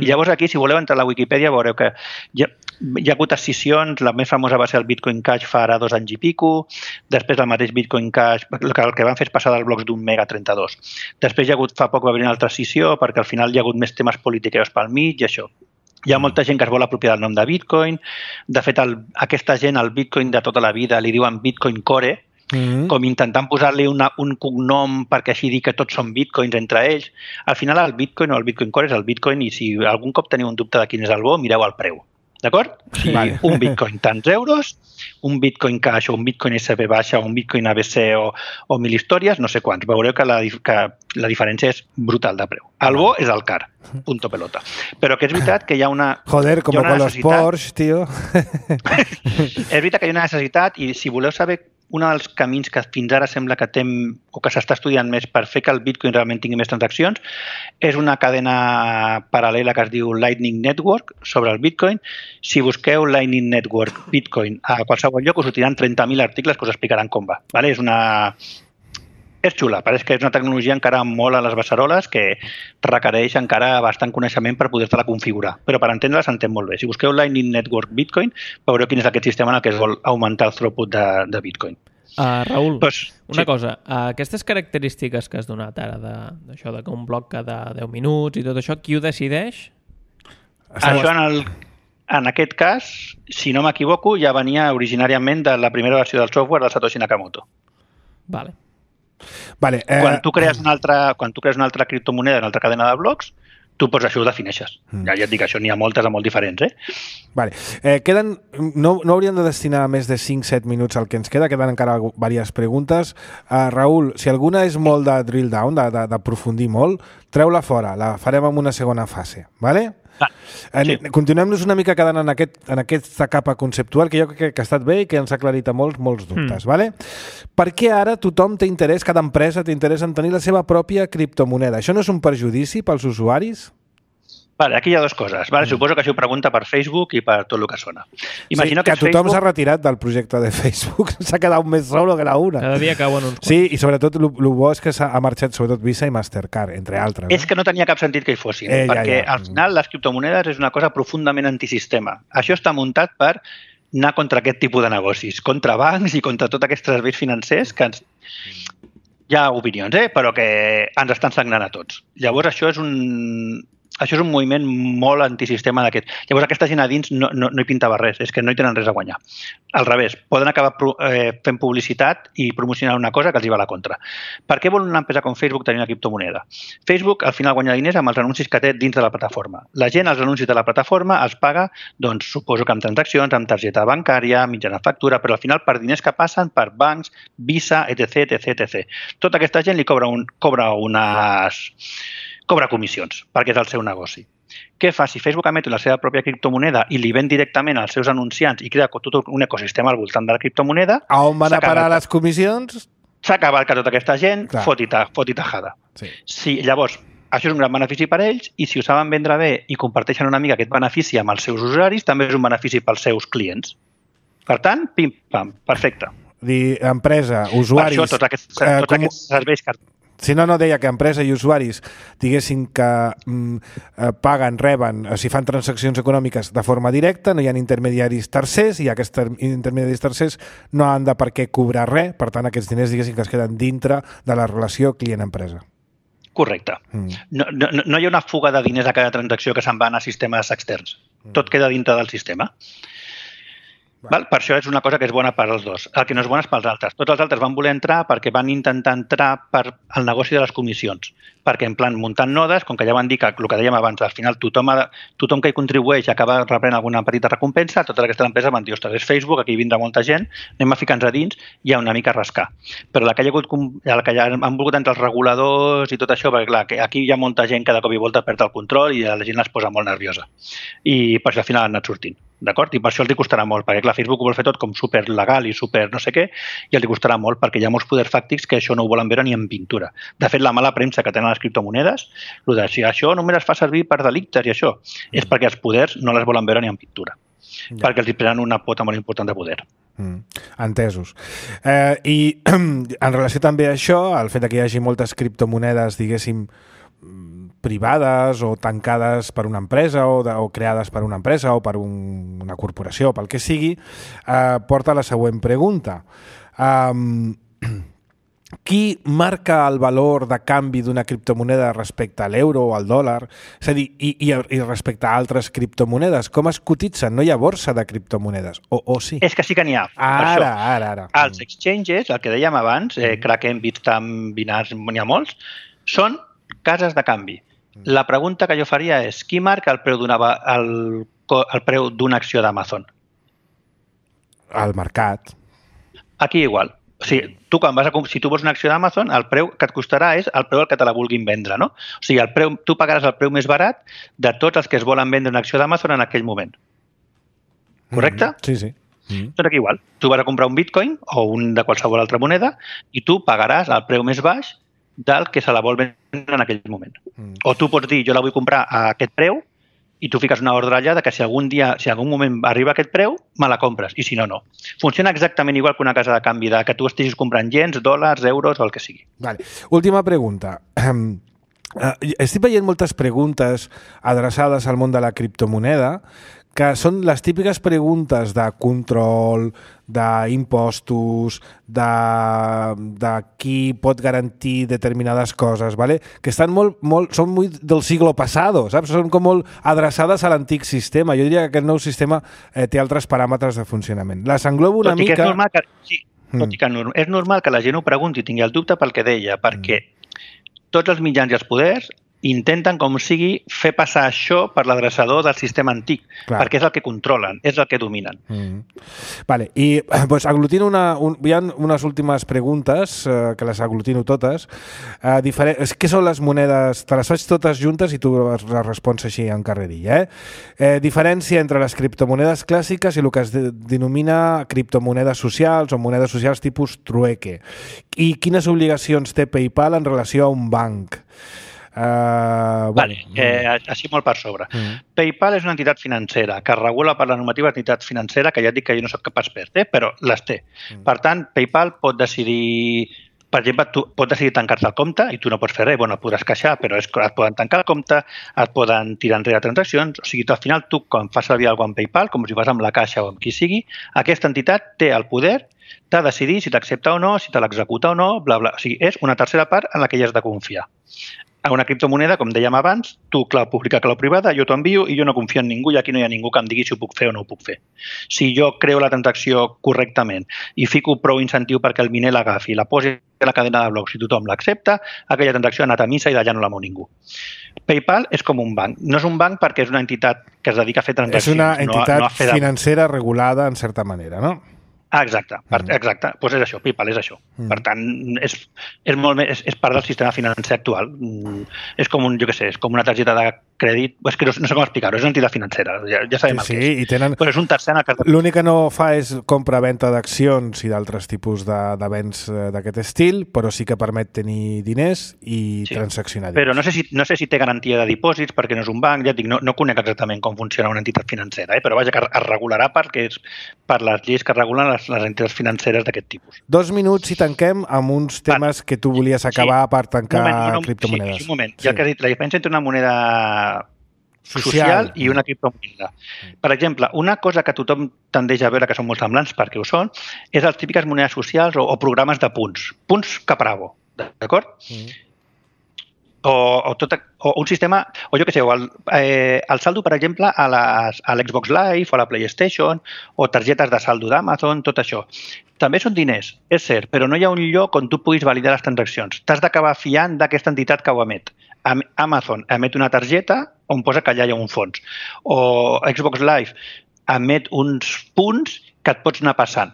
I llavors aquí, si voleu entrar a la Wikipedia, veureu que hi ha hagut escissions, la més famosa va ser el Bitcoin Cash fa ara 2 anys i pico, després el mateix Bitcoin Cash, el que van fer és passar dels blocs d'1 mega a 32. Després hi ha hagut, fa poc va haver una altra escissió, perquè al final hi ha hagut més temes politiqueros pel mig i això. Hi ha molta gent que es vol apropiar del nom de Bitcoin. De fet, aquesta gent, el Bitcoin de tota la vida, li diuen Bitcoin Core, com intentant posar-li un cognom perquè així dir que tots són Bitcoins entre ells. Al final, el Bitcoin o el Bitcoin Core és el Bitcoin i si algun cop teniu un dubte de quin és el bo, mireu el preu. D'acord? O sigui, un Bitcoin tants euros, un Bitcoin Cash o un Bitcoin SB baixa o un Bitcoin ABC o 1000 històries, no sé quants. Veureu que la diferència és brutal de preu. El bo és el car, punto pelota. Però que és veritat que hi ha una... Joder, com con los Porsche, tío. És veritat que hi ha una necessitat i si voleu saber un dels camins que fins ara sembla que o que s'està estudiant més per fer que el Bitcoin realment tingui més transaccions és una cadena paral·lela que es diu Lightning Network sobre el Bitcoin. Si busqueu Lightning Network Bitcoin a qualsevol lloc us sortiran 30.000 articles que us explicaran com va. Vale? És xula, pareix que és una tecnologia encara molt a les beceroles que requereix encara bastant coneixement per poder-te-la configurar. Però per entendre-la s'entén molt bé. Si busqueu Lightning Network Bitcoin, veureu quin és aquest sistema en el que es vol augmentar el throughput de Bitcoin. Raül, una cosa. Aquestes característiques que has donat ara d'això, que un bloc cada 10 minuts i tot això, qui ho decideix? Això en aquest cas, si no m'equivoco, ja venia originàriament de la primera versió del software del Satoshi Nakamoto. Vale. Quan tu crees una altra criptomoneda, una altra cadena de blocs, tu pots això ho defineixes. Ja et dic, això n'hi ha moltes molt diferents. Vale. No hauríem de destinar més de 5-7 minuts al que ens queden encara diverses preguntes. Raül, si alguna és molt de drill down, d'aprofundir molt, treu-la fora, la farem en una segona fase, vale? Sí. Continuem-nos una mica quedant en aquesta capa conceptual que jo crec que ha estat bé i que ens ha aclarit a molts dubtes. Vale? Per què ara tothom té interès, cada empresa té interès en tenir la seva pròpia criptomoneda? Això no és un perjudici pels usuaris? Vale, aquí hi ha dues coses. Vale, suposo que això ho pregunta per Facebook i per tot el que sona. Imagino que tothom s'ha retirat del projecte de Facebook. S'ha quedat més solo que la una. Cada dia cauen uns quants. Sí, i sobretot el bo és que s'ha marxat sobretot Visa i Mastercard, entre altres. És que no tenia cap sentit que hi fossin, perquè al final les criptomonedes és una cosa profundament antisistema. Això està muntat per anar contra aquest tipus de negocis, contra bancs i contra tots aquests serveis financers que hi ha opinions, però que ens estan sagnant a tots. Llavors això és un moviment molt antisistema d'aquest. Llavors aquesta gent a dins no hi pintava res, és que no hi tenen res a guanyar. Al revés, poden acabar fent publicitat i promocionar una cosa que els hi va a la contra. Per què vol una empresa com Facebook tenir una criptomoneda? Facebook al final guanya diners amb els anuncis que té dins de la plataforma. La gent els anuncis de la plataforma els paga, doncs suposo que amb transaccions, amb targeta bancària, mitjana factura, però al final per diners que passen per bancs, Visa, etc. Tota aquesta gent li cobra comissions, perquè és el seu negoci. Què fa? Si Facebook emet la seva pròpia criptomoneda i li ven directament als seus anunciants i crea tot un ecosistema al voltant de la criptomoneda... A on van a parar les comissions? S'ha acabat que tota aquesta gent fot i tajada. Sí. Llavors, això és un gran benefici per ells i si ho saben vendre bé i comparteixen una mica aquest benefici amb els seus usuaris, també és un benefici pels seus clients. Per tant, pim-pam, perfecte. Empresa, usuaris... Per això, tots aquests serveis que... No, deia que empresa i usuaris diguessin que paguen, reben, si fan transaccions econòmiques de forma directa, no hi ha intermediaris tercers i aquests intermediaris tercers no han de per què cobrar res, per tant aquests diners diguessin que es queden dintre de la relació client-empresa. Correcte. No hi ha una fuga de diners a cada transacció que se'n van a sistemes externs. Tot queda dintre del sistema. Per això és una cosa que és bona per als dos. El que no és bona és pels altres. Tots els altres van voler entrar perquè van intentar entrar per al negoci de les comissions. Perquè, en plan, muntant nodes, com que ja van dir que el que dèiem abans, al final tothom que hi contribueix acaba rebrent alguna petita recompensa, totes aquestes empreses van dir, ostres, és Facebook, aquí vindrà molta gent, anem a ficar-nos a dins i a una mica rascar. Però la que ja han volgut entrar els reguladors i tot això, perquè clar, aquí hi ha molta gent que de cop i volta perd el control i la gent es posa molt nerviosa. I per això al final han anat sortint. D'acord? I per això els costarà molt, perquè clar, Facebook ho vol fer tot com super legal i super no sé què, i els costarà molt perquè hi ha molts poders fàctics que això no ho volen veure ni en pintura. De fet, la mala premsa que tenen les criptomonedes, si això només es fa servir per delictes i això, és perquè els poders no les volen veure ni en pintura, perquè els hi prenen una pota molt important de poder. Entesos. I en relació també a això, el fet que hi hagi moltes criptomonedes, diguéssim, privades o tancades per una empresa o creades per una empresa o per una corporació, pel que sigui, porta a la següent pregunta. Qui marca el valor de canvi d'una criptomoneda respecte a l'euro o al dòlar? És a dir, i respecte a altres criptomonedes, com es cotitzen? No hi ha borsa de criptomonedes, o sí? És que sí que n'hi ha. Ara. Els exchanges, el que dèiem abans, Kraken, Bitstamp, Binance, n'hi ha molts, són cases de canvi. La pregunta que jo faria és, qui marca el preu d'una acció d'Amazon? El mercat. Aquí igual. O sigui, si tu vols una acció d'Amazon, el preu que et costarà és el preu al que te la vulguin vendre, no? O sigui, tu pagaràs el preu més barat de tots els que es volen vendre una acció d'Amazon en aquell moment. Correcte? Sí. Tot aquí igual. Tu vas a comprar un bitcoin o un de qualsevol altra moneda i tu pagaràs el preu més baix del que se la vol vendre en aquell moment. O tu pots dir, jo la vull comprar a aquest preu i tu fiques una ordre allà que si algun moment arriba a aquest preu, me la compres, i si no, no. Funciona exactament igual que una casa de canvi, que tu estiguis comprant yens, dòlars, euros o el que sigui. Vale. Última pregunta. Estic veient moltes preguntes adreçades al món de la criptomoneda que són les típiques preguntes de control, d'impostos, de qui pot garantir determinades coses, ¿vale? Que estan són molt del siglo pasado, saps? Són com molt adreçades a l'antic sistema. Jo diria que aquest nou sistema té altres paràmetres de funcionament. Les englobo una mica... És normal que la gent ho pregunti i tingui el dubte pel que deia, perquè tots els mitjans i els poders intenten, com sigui, fer passar això per l'adreçador del sistema antic, perquè és el que controlen, és el que dominen. Vale, i pues, aglutino hi ha unes últimes preguntes, que les aglutino totes. Què són les monedes? Te les faig totes juntes i tu les respons així en carrerilla. Diferència entre les criptomonedes clàssiques i el que es denomina criptomonedes socials o monedes socials tipus trueque. I quines obligacions té PayPal en relació a un banc? Així molt per sobre. PayPal és una entitat financera que regula per la normativa d'entitat financera, que ja et dic que jo no soc capaç per però les té. Per tant, PayPal pot decidir, per exemple, pot decidir tancar-te el compte i tu no pots fer res, et podràs queixar, però et poden tancar el compte, et poden tirar enrere transaccions, o sigui, al final tu, quan fas servir alguna cosa amb PayPal, com si fas amb la caixa o amb qui sigui, aquesta entitat té el poder de decidir si t'accepta o no, si te l'executa o no, bla, bla. O sigui, és una tercera part en la que hi has de confiar. A una criptomoneda, com dèiem abans, tu clau pública, clau privada, jo t'ho envio i jo no confio en ningú i aquí no hi ha ningú que em digui si ho puc fer o no ho puc fer. Si jo creo la transacció correctament i fico prou incentiu perquè el miner l'agafi, la posi a la cadena de blocs i tothom l'accepta, aquella transacció ha anat a missa i d'allà no la mou ningú. PayPal és com un banc. No és un banc perquè és una entitat que es dedica a fer transaccions. És una entitat financera regulada en certa manera, no? Exacte. Doncs és això, PayPal és això. Per tant, és part del sistema financer actual. És com una targeta de crèdit, és que no sé com explicar-ho, és una entitat financera, ja sabem el que és. I tenen... Però és un tercer en el cas de... L'únic que no fa és compra-venta d'accions i d'altres tipus de béns d'aquest estil, però sí que permet tenir diners i transaccionar diners. Però no sé si té garantia de dipòsits perquè no és un banc, ja et dic, no conec exactament com funciona una entitat financera, però vaja, que es regularà perquè és per les lleis que regulen les entitats financeres d'aquest tipus. 2 minuts i tanquem amb uns temes que tu volies acabar per tancar criptomonedes. Un moment, ja que has dit, la diferència entre una moneda social i una criptomoneda. Per exemple, una cosa que tothom tendeix a veure que són molt semblants, perquè ho són, és les típiques monedes socials o programes de punts. Punts Capravo, d'acord? o un sistema, o jo què sé, el saldo, per exemple, a l'Xbox Live o a la PlayStation, o targetes de saldo d'Amazon, tot això. També són diners, és cert, però no hi ha un lloc on tu puguis validar les transaccions. T'has d'acabar fiant d'aquesta entitat que ho emet. Amazon emet una targeta on posa que allà hi ha un fons. O Xbox Live emet uns punts que et pots anar passant.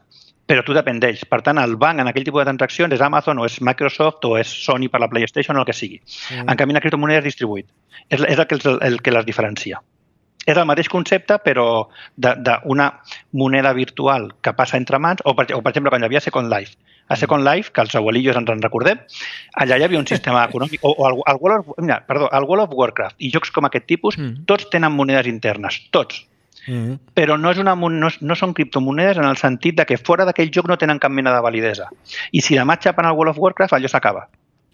Però tu depèn d'ells. Per tant, el banc en aquell tipus de transaccions és Amazon o és Microsoft o és Sony per la PlayStation o el que sigui. En canvi, la criptomoneda és distribuït. És el que les diferencia. És el mateix concepte, però d'una moneda virtual que passa entre mans, o per exemple, quan hi havia Second Life. A Second Life, que els abuelillos ens en recordem, allà hi havia un sistema econòmic, o el World of Warcraft i jocs com aquest tipus, tots tenen monedes internes, tots. Però no són criptomonedes en el sentit de que fora d'aquell joc no tenen cap mena de validesa. I si demà xapen al World of Warcraft, allò s'acaba.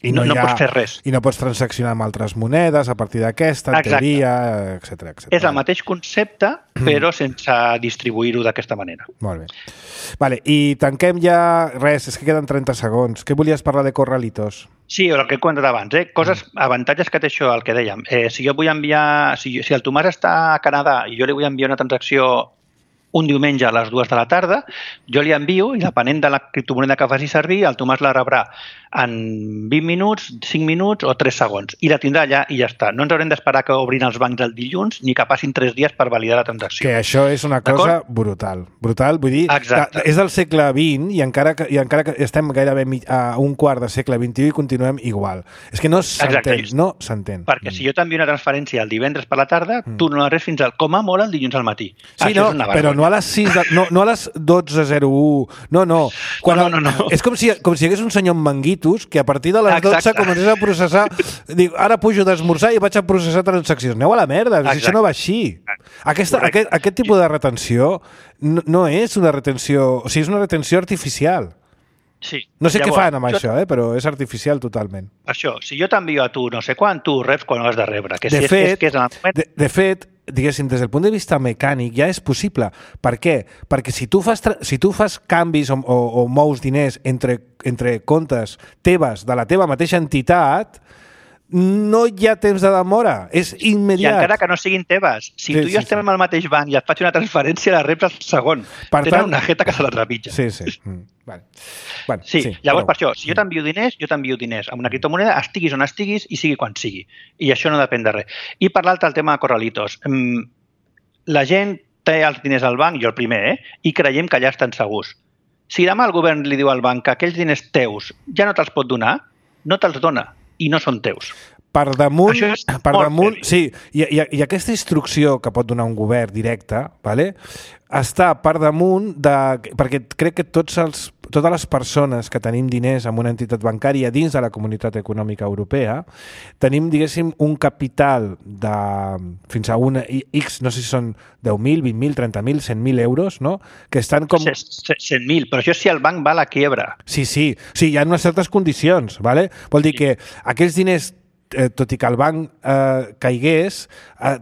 I no pots fer res. I no pots transaccionar amb altres monedes a partir d'aquesta, en teoria, etc. És el mateix concepte, però sense distribuir-ho d'aquesta manera. Molt bé. Vale, i tanquem ja... Res, és que queden 30 segons. Què volies parlar de Corralitos? Sí, el que he comentat abans, avantatges que té això, el que dèiem. Si jo vull enviar... Si el Tomàs està a Canadà i jo li vull enviar una transacció un diumenge a les 2 de la tarda, jo li envio i depenent de la criptomoneda que faci servir, el Tomàs la rebrà en 20 minuts, 5 minuts o 3 segons. I la tindrà allà i ja està. No ens haurem d'esperar que obrin els bancs el dilluns ni que passin 3 dies per validar la transacció. Que això és una cosa brutal. Brutal, vull dir, és del segle XX i encara que estem gairebé a un quart del segle XXI i continuem igual. És que no s'entén. Perquè si jo t'envio una transferència el divendres per la tarda, tu no la reps fins com a molt el dilluns al matí. Sí, però no a les 6, no a les 12:01. No. És com si hi hagués un senyor amb manguitos que a partir de les 12 comencés a processar, dic, ara pujo d'esmorzar i vaig a processar transaccions. Aneu a la merda, això no va així. Aquest tipus de retenció no és una retenció, o sigui, és una retenció artificial. Sí. No sé què fan amb això, però és artificial totalment. Això, si jo t'envio a tu no sé quan, tu reps quan ho has de rebre. De fet, diguéssim, des del punt de vista mecànic ja és possible. Per què? Perquè si tu fas canvis o mous diners entre comptes teves de la teva mateixa entitat, no hi ha temps de demora, és immediat. I encara que no siguin teves, si tu i jo estem al mateix banc i et faig una transferència, la reps al segon. Tenen una jeta que se la trepitja. Sí. Vale. Bueno, llavors, per això, si jo t'envio diners amb una criptomoneda, estiguis on estiguis i sigui quan sigui. I això no depèn de res. I per l'altre, el tema de Corralitos. La gent té els diners al banc, jo el primer, i creiem que allà estan segurs. Si demà el govern li diu al banc que aquells diners teus ja no te'ls pot donar, no te'ls dona i no són teus. Per damunt, sí, i aquesta instrucció que pot donar un govern directe, està per damunt perquè crec que totes les persones que tenim diners en una entitat bancària dins de la Comunitat Econòmica Europea tenim, diguéssim, un capital de fins a una X, no sé si són 10.000, 20.000, 30.000, 100.000 euros, no? Que estan com... 100.000, però això si el banc va a la quiebra. Sí, hi ha unes certes condicions, ¿vale? Vol dir que aquells diners tot i que el banc caigués,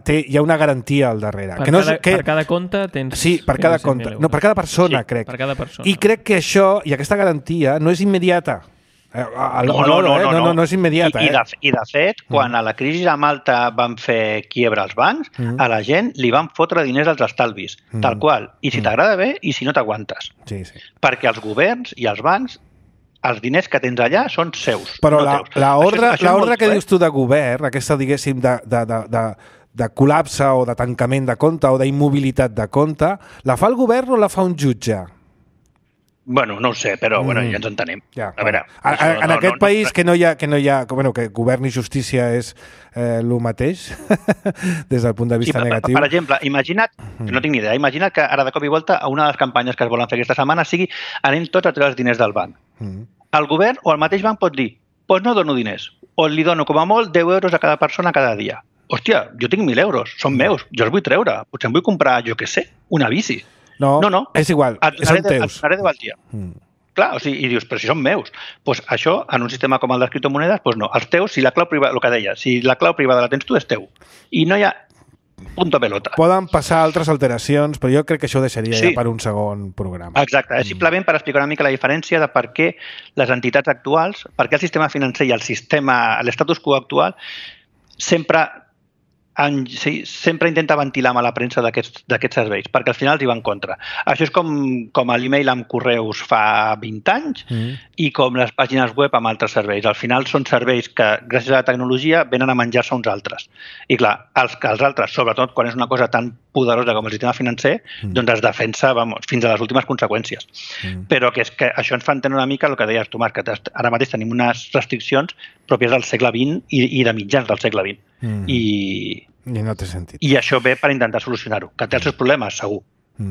hi ha una garantia al darrere. Per cada compte tens... Sí, per cada compte. No, per cada persona, crec. Per cada persona. I crec que això, i aquesta garantia, no és immediata. No és immediata. I de fet, quan a la crisi de Malta van fer quiebra als bancs, a la gent li van fotre diners als estalvis, tal qual. I si t'agrada bé i si no t'aguantes. Sí. Perquè els governs i els bancs els diners que tens allà són seus. Però l'ordre que dius tu de govern, aquesta, diguéssim, de col·lapse o de tancament de compte o d'immobilitat de compte, la fa el govern o la fa un jutge? Bueno, no ho sé, però ja ens entenem. A veure, en aquest país que govern i justícia és el mateix, des del punt de vista negatiu. Per exemple, imagina't, no tinc ni idea, imagina't que ara de cop i volta una de les campanyes que es volen fer aquesta setmana sigui anem tots a treure els diners del banc. El govern o el mateix banc pot dir doncs no dono diners, o li dono com a molt 10 euros a cada persona cada dia. Hòstia, jo tinc 1.000 euros, són meus, jo els vull treure, potser em vull comprar, jo què sé, una bici. No, és igual, són teus. Et donaré de valia. Clar, o sigui, i dius, però si són meus. Doncs això, en un sistema com el de criptomonedes, doncs no. Els teus, si la clau privada, el que deia, si la clau privada la tens tu, és teu. I no hi ha punto pelota. Poden passar altres alteracions, però jo crec que això ho deixaria ja per un segon programa. Exacte, és simplement per explicar una mica la diferència de per què les entitats actuals, per què el sistema financer i l'estatus quo actual sempre intenta ventilar a la premsa d'aquests serveis, perquè al final els hi va en contra. Això és com l'email amb correus fa 20 anys i com les pàgines web amb altres serveis. Al final són serveis que, gràcies a la tecnologia, venen a menjar-se uns altres. I clar, els altres, sobretot quan és una cosa tan poderosa com el sistema financer, doncs es defensa fins a les últimes conseqüències. Però que és que això ens fa entendre una mica el que deies tu, Marc, que ara mateix tenim unes restriccions pròpies del segle XX i de mitjans del segle XX. I no té sentit. I això ve per intentar solucionar-ho. Que té els seus problemes, segur,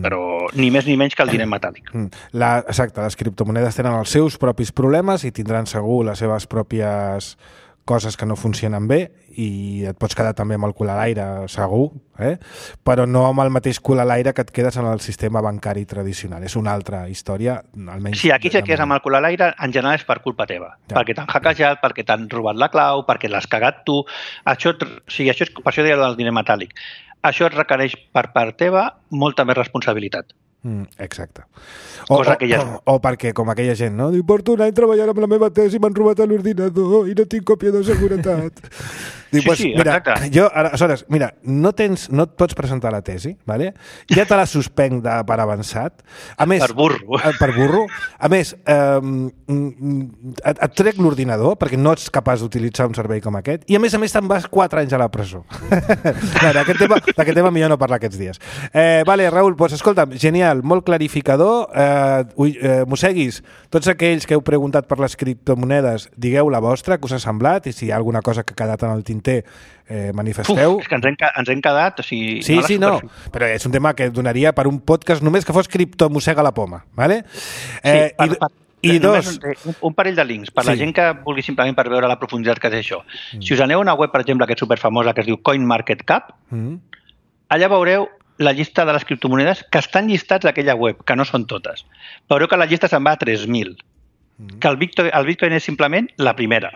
però ni més ni menys que el diner metàl·lic. Exacte, les criptomonedes tenen els seus propis problemes i tindran segur les seves pròpies coses que no funcionen bé i et pots quedar també amb el cul a l'aire, segur, però no amb el mateix cul a l'aire que et quedes en el sistema bancari tradicional. És una altra història, almenys... Sí, aquí si et quedes amb el cul a l'aire, en general és per culpa teva. Ja. Perquè t'han hackejat, perquè t'han robat la clau, perquè l'has cagat tu. Això és, per això deia el diner metàl·lic. Això et requereix per part teva molta més responsabilitat. Exacte. O perquè, com aquella gent, no? Diu, porto un any treballant amb la meva tesi i m'han robat a l'ordinador i no tinc còpia de seguretat. Diu, mira, jo, aleshores, mira, no et pots presentar la tesi, ¿vale? Ja te la suspenc per avançat. A més, per burro. Per burro. A més, et trec l'ordinador perquè no ets capaç d'utilitzar un servei com aquest i a més te'n vas 4 anys a la presó. D'aquest tema millor no parlar aquests dies. Vale, Raül, doncs escolta'm, genial, molt clarificador. Mosseguis, tots aquells que heu preguntat per les criptomonedes, digueu la vostra, que us ha semblat, i si hi ha alguna cosa que ha quedat en el tinter, manifesteu. És que ens hem quedat... O sigui, sí, no, però és un tema que donaria per un podcast només que fos cripto mossega la poma, ¿vale? I dos... Un parell de links. Per la gent que vulgui simplement per veure la profunditat que té això. Si us aneu a una web, per exemple, que és superfamosa, que es diu CoinMarketCap, allà veureu la llista de les criptomonedes que estan llistats d'aquella web, que no són totes. Veureu que la llista se'n va a 3.000. Que el Bitcoin és simplement la primera.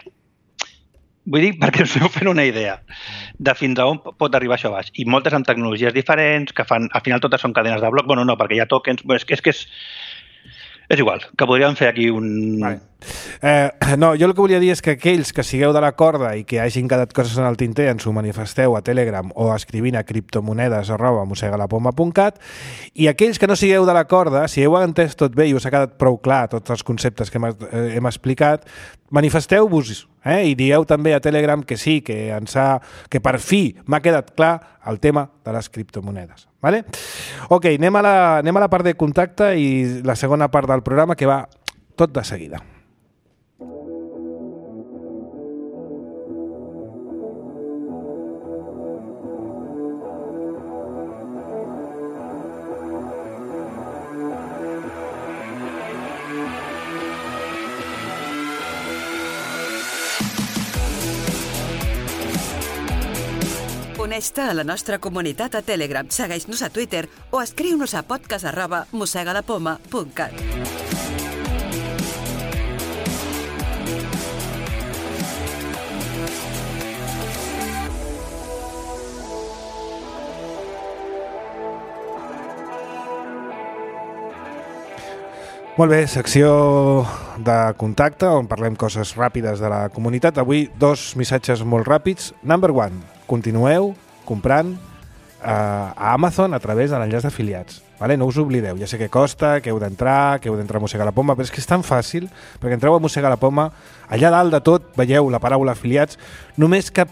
Vull dir, perquè us heu fent una idea de fins a on pot arribar això baix. I moltes amb tecnologies diferents, que fan, al final totes són cadenes de bloc. Bueno, no, perquè hi ha tokens. És igual, que podríem fer aquí un... Vale. No, jo el que volia dir és que aquells que sigueu de la corda i que hagin quedat coses en el tinter ens ho manifesteu a Telegram o escrivint a criptomonedes@mossegalapoma.cat i aquells que no sigueu de la corda, si heu entès tot bé i us ha quedat prou clar tots els conceptes que hem explicat, manifesteu-vos i dieu també a Telegram que sí, que per fi m'ha quedat clar el tema de les criptomonedes. Vale? Ok, anem a la part de contacte i la segona part del programa que va tot de seguida. Uneix-te a la nostra comunitat a Telegram, segueix-nos a Twitter o escriu-nos a podcast@mossegalapoma.cat. Molt bé, secció de contacte on parlem coses ràpides de la comunitat. Avui 2 missatges molt ràpids. Number 1, continueu comprant a Amazon a través de l'enllaç d'afiliats. Vale? No us oblideu, ja sé que costa, que heu d'entrar a Mossegar la Poma, però és que és tan fàcil, perquè entreu a Mossegar la Poma, allà dalt de tot veieu la paraula afiliats, només que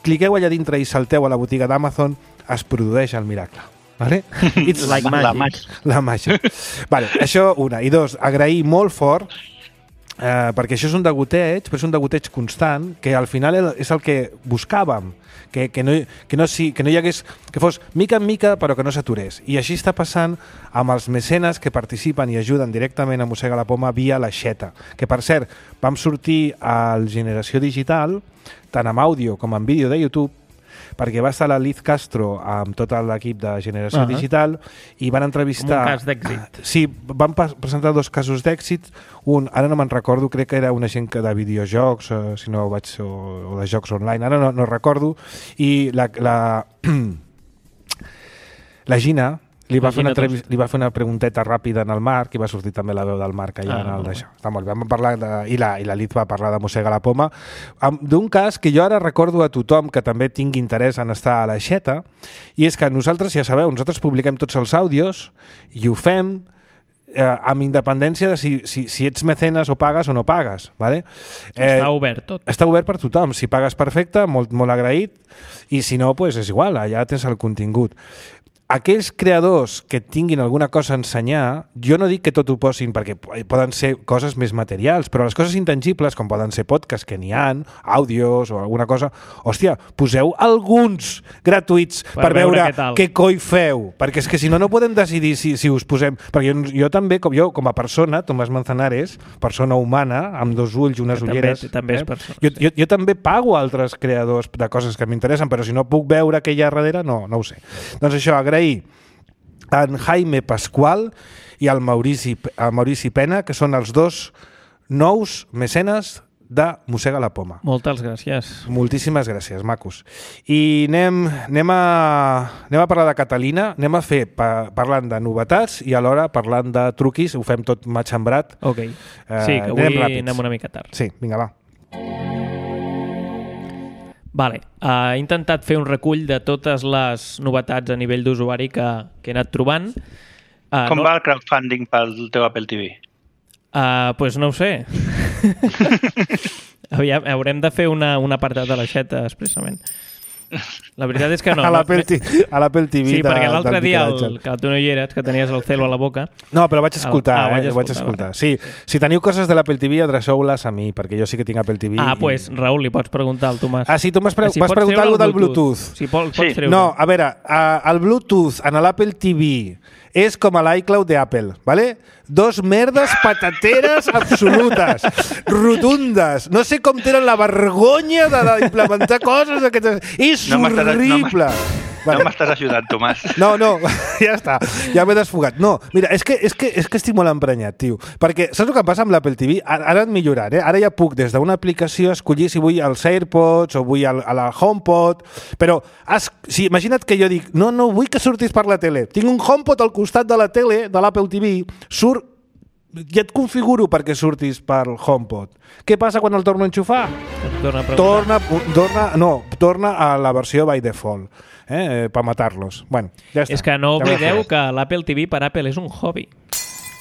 cliqueu allà dintre i salteu a la botiga d'Amazon, es produeix el miracle. Vale? It's like magic. La màgia. Vale, això una. I 2, agrair molt fort perquè això és un degoteig, però és un degoteig constant, que al final és el que buscàvem, que no hi hagués, que fos mica en mica però que no s'aturés. I així està passant amb els mecenes que participen i ajuden directament a Mossega la Poma via l'aixeta, que per cert vam sortir al Generació Digital tant amb àudio com amb vídeo de YouTube, perquè va estar la Liz Castro amb tot l'equip de Generació Digital i van entrevistar... Un cas d'èxit. Sí, van presentar 2 casos d'èxit. Un, ara no me'n recordo, crec que era una gent de videojocs, si no vaig, o de jocs online, ara no recordo. I La Gina li va fer una pregunteta ràpida en el Marc i va sortir també la veu del Marc allà en el d'això. Està molt bé. Vam parlar i la Lid va parlar de Mossega la Poma, d'un cas que jo ara recordo a tothom que també tingui interès en estar a l'aixeta, i és que nosaltres, ja sabeu, nosaltres publiquem tots els àudios i ho fem amb independència de si ets mecenes o pagues o no pagues. Vale? Està obert tot. Està obert per tothom. Si pagues perfecte, molt agraït, i si no, pues és igual, allà tens el contingut. Aquells creadors que tinguin alguna cosa a ensenyar, jo no dic que tot ho posin perquè poden ser coses més materials, però les coses intangibles, com poden ser podcasts que n'hi ha, àudios o alguna cosa, hòstia, poseu alguns gratuïts per veure què coi feu, perquè és que si no podem decidir si us posem... Perquè jo també, com a persona, Tomàs Manzanares, persona humana, amb dos ulls i unes ulleres... També és persona. Jo també pago altres creadors de coses que m'interessen, però si no puc veure què hi ha darrere, no ho sé. Doncs això, agrair en Jaime Pascual i al Maurici Pena, que són els dos nous mecenes de Mossega la Poma. Moltes gràcies. Moltíssimes gràcies, macos. I anem a parlar de Catalina, anem a fer parlant de novetats i alhora parlant de truquis, ho fem tot matxembrat. Ok, sí, que avui anem una mica tard. Sí, vinga, va. Vale, he intentat fer un recull de totes les novetats a nivell d'usuari que he anat trobant. Com va el crowdfunding pel teu Apple TV? Pues no ho sé. Haurem de fer un apartat de l'aixeta expressament. La veritat és que no. A l'Apple TV. Sí, perquè l'altre dia, que tu no hi eres, que tenies el celo a la boca... No, però vaig escoltar, vaig escoltar. Sí, si teniu coses de l'Apple TV, adreceu-les a mi, perquè jo sí que tinc Apple TV. Pues, Raül, li pots preguntar al Tomàs. Sí, tu vas preguntar alguna del Bluetooth. Si pots treure. No, a veure, el Bluetooth en l'Apple TV és com a l'iCloud d'Apple, ¿vale? Dos merdes patateres absolutes, rotundes. No sé com tenen la vergonya d'implementar coses d'aquestes. És horrible. No m'estàs ajudant, Tomàs. No, ja està. Ja m'he desfogat. No, mira, és que estic molt emprenyat, tio. Perquè saps el que passa amb l'Apple TV? Ara han millorat, eh? Ara ja puc des d'una aplicació escollir si vull els AirPods o vull a la HomePod, però imagina't que jo dic no vull que surtis per la tele. Tinc un HomePod al costat de la tele, de l'Apple TV, ja et configuro perquè surtis pel HomePod. Què passa quan el torno a enxufar? Torna a la versió by default. Per matar-los. Bueno, ja està. És que no oblideu que l'Apple TV per Apple és un hobby.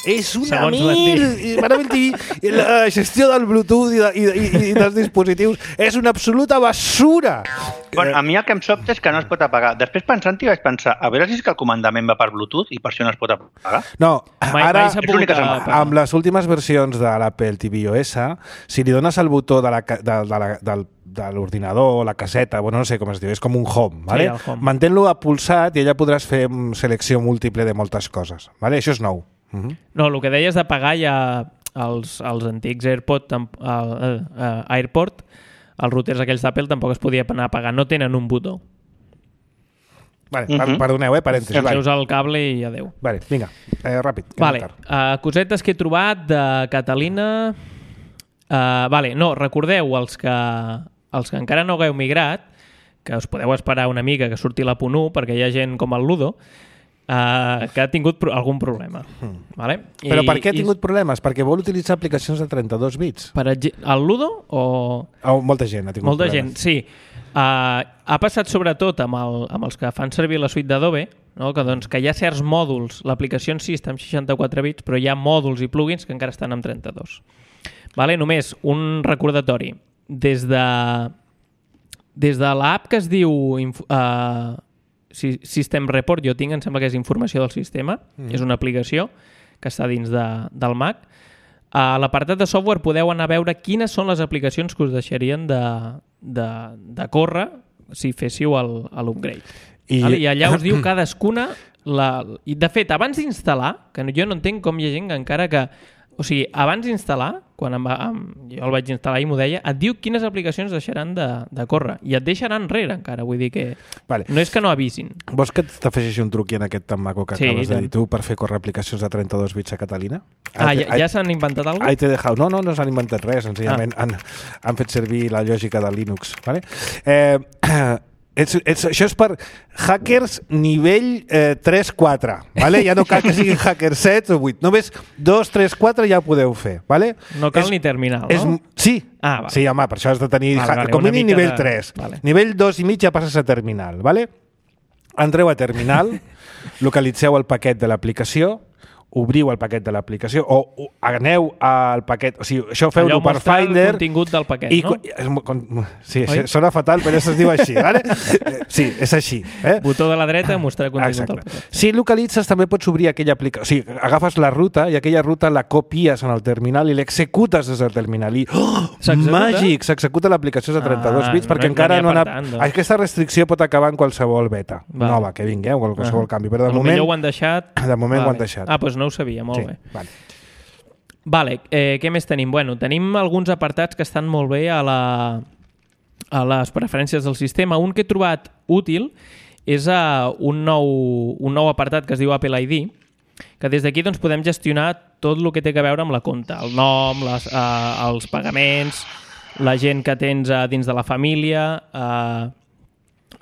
És una la gestió del Bluetooth i dels dispositius és una absoluta basura. Bueno, a mi el que em sobta és que no es pot apagar. Després pensant-hi vaig pensar, a veure si és que el comandament va per Bluetooth i per això no es pot apagar. No, ara amb les últimes versions de l'Apple TV OS, si li dones el botó de l'ordinador, la caseta, no sé com es diu, és com un home, ¿vale? Sí, home. Mantén-lo apulsat i allà podràs fer selecció múltiple de moltes coses, ¿vale? Això és nou. No, el que deies de pagar ja els antics AirPod, els routers aquells d'Apple tampoc es podia anar a pagar, no tenen un botó. Vale, perdoneu, parèntesis. Enceus el cable i adeu. Vale, vinga, ràpid. Vale, cosetes que he trobat de Catalina... recordeu els que encara no hagueu migrat, que us podeu esperar una mica que surti la .1, perquè hi ha gent com el Ludo, que ha tingut algun problema. Vale? Però per què ha tingut problemes? Perquè vol utilitzar aplicacions de 32 bits. El Ludo o... Molta gent ha tingut problemes. Molta gent, sí. Ha passat sobretot amb els que fan servir la suite d'Adobe, no? Que hi ha certs mòduls, l'aplicació en si està amb 64 bits, però hi ha mòduls i plugins que encara estan amb 32. Vale? Només un recordatori. Des de l'app que es diu System Report, jo tinc, em sembla que és informació del sistema, és una aplicació que està dins del Mac. A l'apartat de software podeu anar a veure quines són les aplicacions que us deixarien de córrer si féssiu l'upgrade. I allà us diu cadascuna... I de fet, abans d'instal·lar, que jo no entenc com hi ha gent que encara que... O sigui, abans d'instal·lar, quan jo el vaig instal·lar i m'ho deia, et diu quines aplicacions deixaran de córrer. I et deixaran enrere, encara. Vull dir que no és que no avisin. Vols que t'afegeixi un truc en aquest tan maco que acabes de dir tu per fer córrer aplicacions de 32 bits a Catalina? Ja s'han inventat alguna cosa? No s'han inventat res. Senzillament han fet servir la lògica de Linux. Vale? Això és per hackers nivell 3-4, ¿vale? Ja no cal que siguin hackers 7 o 8. Només 2, 3, 4 ja ho podeu fer, ¿vale? No cal ni terminal, no? Sí. Vale. Sí, home, per això has de tenir com mínim nivell 3. Vale. Nivell 2 i mig ja passes a terminal, ¿vale? Entreu a terminal, localitzeu el paquet de l'aplicació, obriu el paquet de l'aplicació o aneu al paquet, o sigui, això feu-ho per Finder. El contingut del paquet, no? Sí, sona fatal, però això es diu així, ¿vale? Sí, és així. Botó de la dreta, mostrar contingut del paquet. Si localitzes, també pots obrir aquella aplicació. O sigui, agafes la ruta i aquella ruta la copies en el terminal i l'executes des del terminal. I, màgic! S'executa l'aplicació de 32 bits perquè encara no ha anat... Aquesta restricció pot acabar en qualsevol beta nova que vingui, o qualsevol canvi. Però de moment ho han deixat. De moment ho han deixat. Ah, doncs no ho sabia, molt bé. Vale, què més tenim? Bueno, tenim alguns apartats que estan molt bé a les preferències del sistema. Un que he trobat útil és un nou apartat que es diu Apple ID, que des d'aquí doncs, podem gestionar tot el que té a veure amb la compta, el nom, els pagaments, la gent que tens dins de la família,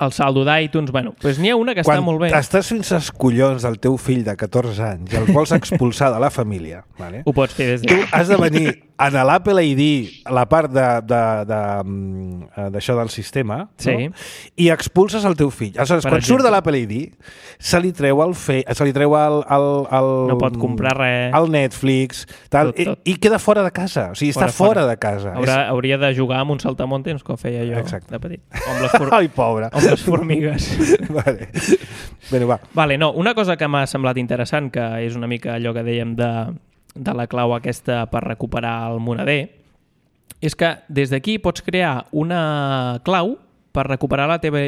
el saldo d'iTunes, bueno, doncs n'hi ha una que està molt bé. Quan estàs fins als collons del teu fill de 14 anys i el vols expulsar de la família, vale? Ho pots fer des de... Tu has de venir en l'Apple ID, a la part d'això del sistema, sí, no? I expulses el teu fill. Aleshores, quan surt de l'Apple ID, se li treu el no pot comprar res. El Netflix, tal, tot. I queda fora de casa. O sigui, està fora de casa. Hauria de jugar amb un saltamontes, com feia jo de petit. Ai, pobre. Amb les formigues. Vale. Bé, va. Vale, no, una cosa que m'ha semblat interessant, que és una mica allò que dèiem de la clau aquesta per recuperar el moneder, és que des d'aquí pots crear una clau per recuperar la teva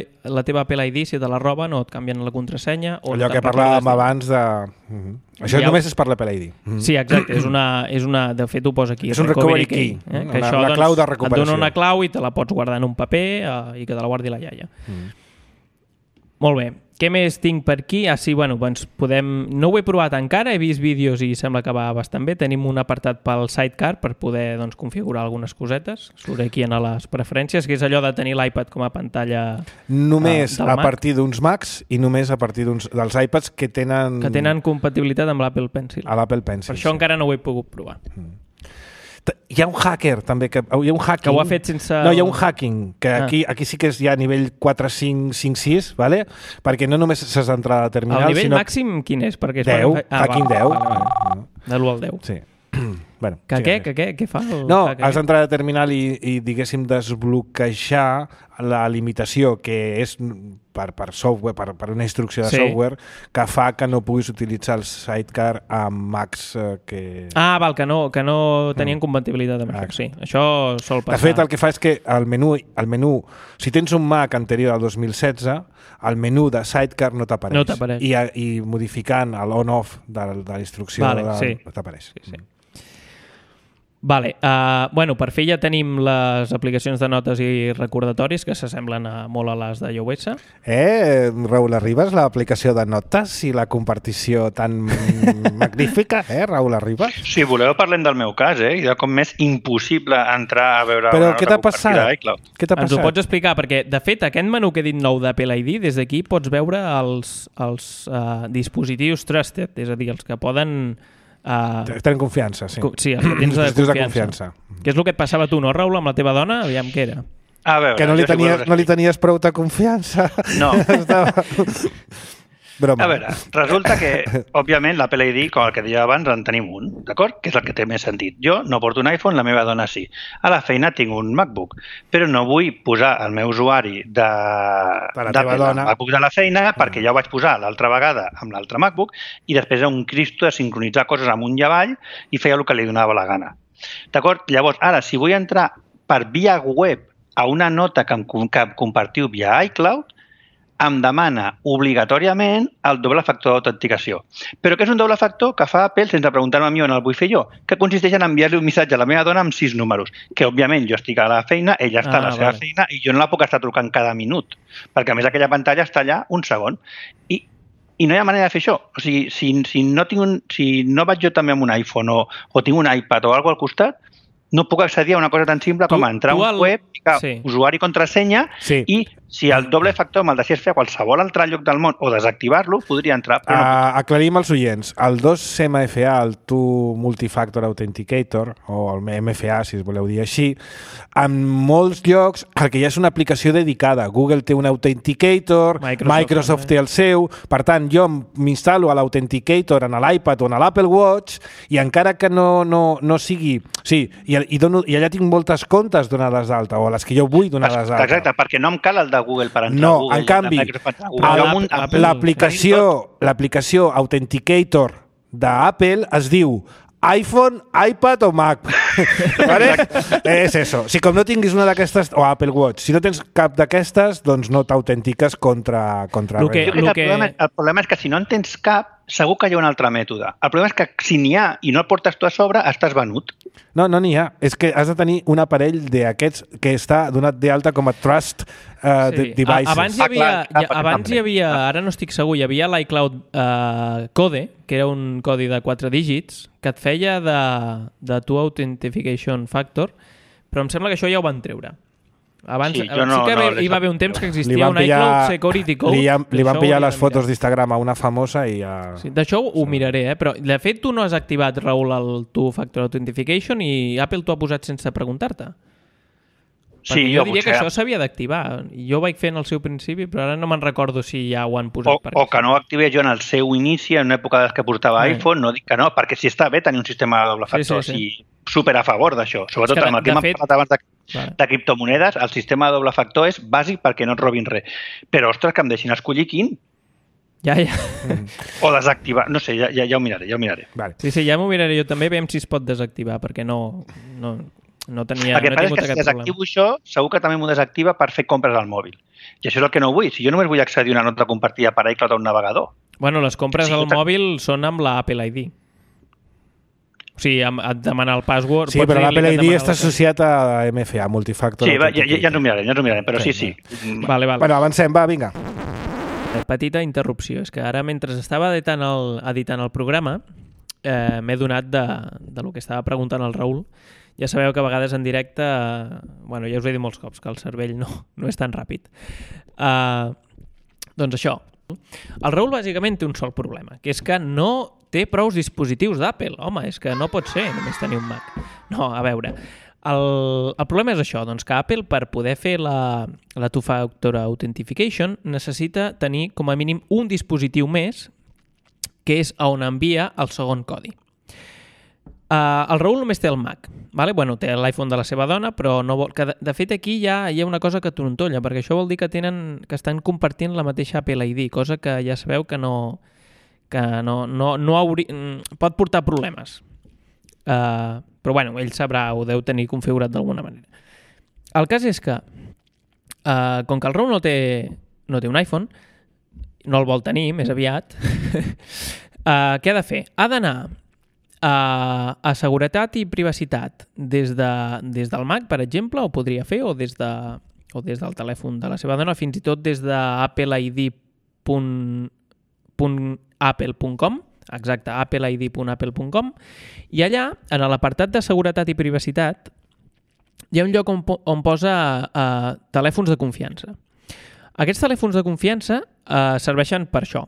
Apple ID si te la roben o et canvien la contrasenya. Allò que parlàvem abans de... Això només és per l'Apple ID. Sí, exacte. És una, de fet, ho posa aquí. És un recovery key. Que això, la clau de recuperació. Et dona una clau i te la pots guardar en un paper i que te la guardi la iaia. Molt bé. Què més tinc per aquí? Sí, bueno, doncs no ho he provat encara, he vist vídeos i sembla que va bastant bé. Tenim un apartat pel Sidecar per poder configurar algunes cosetes. Surt aquí en les preferències, que és allò de tenir l'iPad com a pantalla només a partir d'uns Macs i només a partir dels iPads que tenen compatibilitat amb l'Apple Pencil. A l'Apple Pencil, per això encara no ho he pogut provar. Hi ha un hacker també que ho ha fet sense... No, hi ha un hacking que aquí sí que és ja a nivell 4, 5, 5, 6, ¿vale? Perquè no només s'has d'entrar a terminal, el nivell màxim quin és? 10, hacking 10. De l'1 al 10. Sí. Bueno, què fa? Has d'entrar a terminal i diguéssim desbloquejar la limitació que és per software, per una instrucció de software que fa que no puguis utilitzar el Sidecar amb Macs que... Val, que no tenien compatibilitat amb això. Sí, això sol passar. De fet, el que fa és que el menú, si tens un Mac anterior al 2016, el menú de Sidecar no t'apareix. No t'apareix. I modificant l'on-off de la instrucció t'apareix. Sí. Vale, bueno, per fer ja tenim les aplicacions de notes i recordatoris que s'assemblen molt a les de iOS. Raül Arribas, l'aplicació de notes i la compartició tan magnífica, Raül Arribas? Si voleu parlem del meu cas, i de com m'és impossible entrar a veure una nota compartida d'iCloud. Què t'ha passat? Ens ho pots explicar, perquè de fet aquest menú que he dit nou d'Apple ID, des d'aquí pots veure els dispositius trusted, és a dir, els que poden... tenen confiança, sí. Sí, els que tens de confiança. Què és el que et passava tu, no, Raül, amb la teva dona? Aviam què era. A veure, que no li tenies prou de confiança. No. Broma. A veure, resulta que, òbviament, l'Apple ID, com el que deia abans, en tenim un, d'acord? Que és el que té més sentit. Jo no porto un iPhone, la meva dona sí. A la feina tinc un MacBook, però no vull posar el meu usuari d'Apple al MacBook de la feina perquè ja ho vaig posar l'altra vegada amb l'altre MacBook i després era un cristo de sincronitzar coses amunt i avall i feia el que li donava la gana. D'acord? Llavors, ara, si vull entrar per via web a una nota que compartiu via iCloud, em demana obligatòriament el doble factor d'autenticació. Però què és un doble factor que fa Apple sense preguntar-me a mi on el vull fer jo? Que consisteix en enviar-li un missatge a la meva dona amb 6 números, que òbviament jo estic a la feina, ella està a la seva feina i jo no la puc estar trucant cada minut, perquè a més aquella pantalla està allà un segon. I no hi ha manera de fer això. O sigui, si no vaig jo també amb un iPhone o tinc un iPad o alguna cosa al costat, no puc accedir a una cosa tan simple com entrar a un web, ficar usuari i contrasenya i Si el doble factor me'l deixés fer a qualsevol altre lloc del món o desactivar-lo, podria entrar. Però no. Aclarim als oients. El 2MFA, el Two Multifactor Authenticator, o el MFA, si es voleu dir així, en molts llocs el que hi ha és una aplicació dedicada. Google té un Authenticator, Microsoft té el seu. Per tant, jo m'instal·lo a l'Authenticator en l'iPad o en l'Apple Watch i encara que no sigui... Sí, i allà tinc moltes comptes donades d'alta, o les que jo vull donades d'alta. Exacte, perquè no em cal el de Google per entrar a Google. No, en canvi, l'aplicació Authenticator d'Apple es diu iPhone, iPad o Mac. ¿Vale? És eso. Si com no tinguis una d'aquestes, o Apple Watch, si no tens cap d'aquestes, doncs no t'autentiques contra res. El problema és que si no en tens cap, segur que hi ha un altre mètode. El problema és que si n'hi ha i no el portes tu a sobre, estàs venut. No n'hi ha. És que has de tenir un aparell d'aquests que està donat d'alta com a Trust Devices. Abans hi havia, ara no estic segur, hi havia l'iCloud Code, que era un codi de 4 dígits, que et feia de Two Authentication Factor, però em sembla que això ja ho van treure. Abans, sí que hi va haver un temps que existia un iCloud Security Code. Li van pillar les fotos d'Instagram a una famosa i ja... Sí, d'això ho miraré, però de fet tu no has activat, Raül, el Two Factor Authentication i Apple t'ho ha posat sense preguntar-te. Sí, jo diria que això s'havia d'activar. Jo ho vaig fer en el seu principi, però ara no me'n recordo si ja ho han posat. O que no ho activé jo en el seu inici, en una època que portava iPhone, no dic que no, perquè si està bé tenir un sistema de doble factor, sí. Super a favor d'això. Sobretot amb el que m'ha parlat abans de criptomonedes, el sistema de doble factor és bàsic perquè no et robin res. Però, ostres, que em deixin escollir quin. Ja. O desactivar. No sé, ja ho miraré. Vale. Sí, ja m'ho miraré jo també, veiem si es pot desactivar, perquè no tenia... El que passa és que si desactivo això, segur que també m'ho desactiva per fer compres al mòbil. I això és el que no vull. Si jo només vull accedir a una nota compartida per iCloud a un navegador. Bueno, les compres al mòbil són amb l'Apple ID. O sigui, et demana el password... Sí, però l'Apple ID està associat a MFA, Multifactor. Sí, ja ens ho mirarem, però sí. Vale. Bueno, avancem, va, vinga. Petita interrupció. És que ara, mentre estava editant el programa, m'he donat de lo que estava preguntant el Raül. Ja sabeu que a vegades en directe... Bueno, ja us he dit molts cops que el cervell no és tan ràpid. Doncs això. El Raül bàsicament té un sol problema, que és que no té prous dispositius d'Apple. Home, és que no pot ser només tenir un Mac. No, a veure... El problema és això, doncs que Apple, per poder fer la Two-Factor Authentication, necessita tenir com a mínim un dispositiu més, que és on envia el segon codi. El Raül només té el Mac, vale? Bueno, té l'iPhone de la seva dona, però no vol... Que de fet aquí hi ha una cosa que trontolla, perquè això vol dir que estan compartint la mateixa Apple ID, cosa que ja sabeu que pot portar problemes. Però bueno, ell sabrà, ho deu tenir configurat d'alguna manera. El cas és que, com que el Raül no té un iPhone, no el vol tenir, més aviat, què ha de fer? Ha d'anar a seguretat i privacitat des del Mac, per exemple, ho podria fer, o des del telèfon de la seva dona, fins i tot des d'appleid.apple.com, exacte, appleid.apple.com, i allà, en l'apartat de seguretat i privacitat, hi ha un lloc on posa telèfons de confiança. Aquests telèfons de confiança serveixen per això.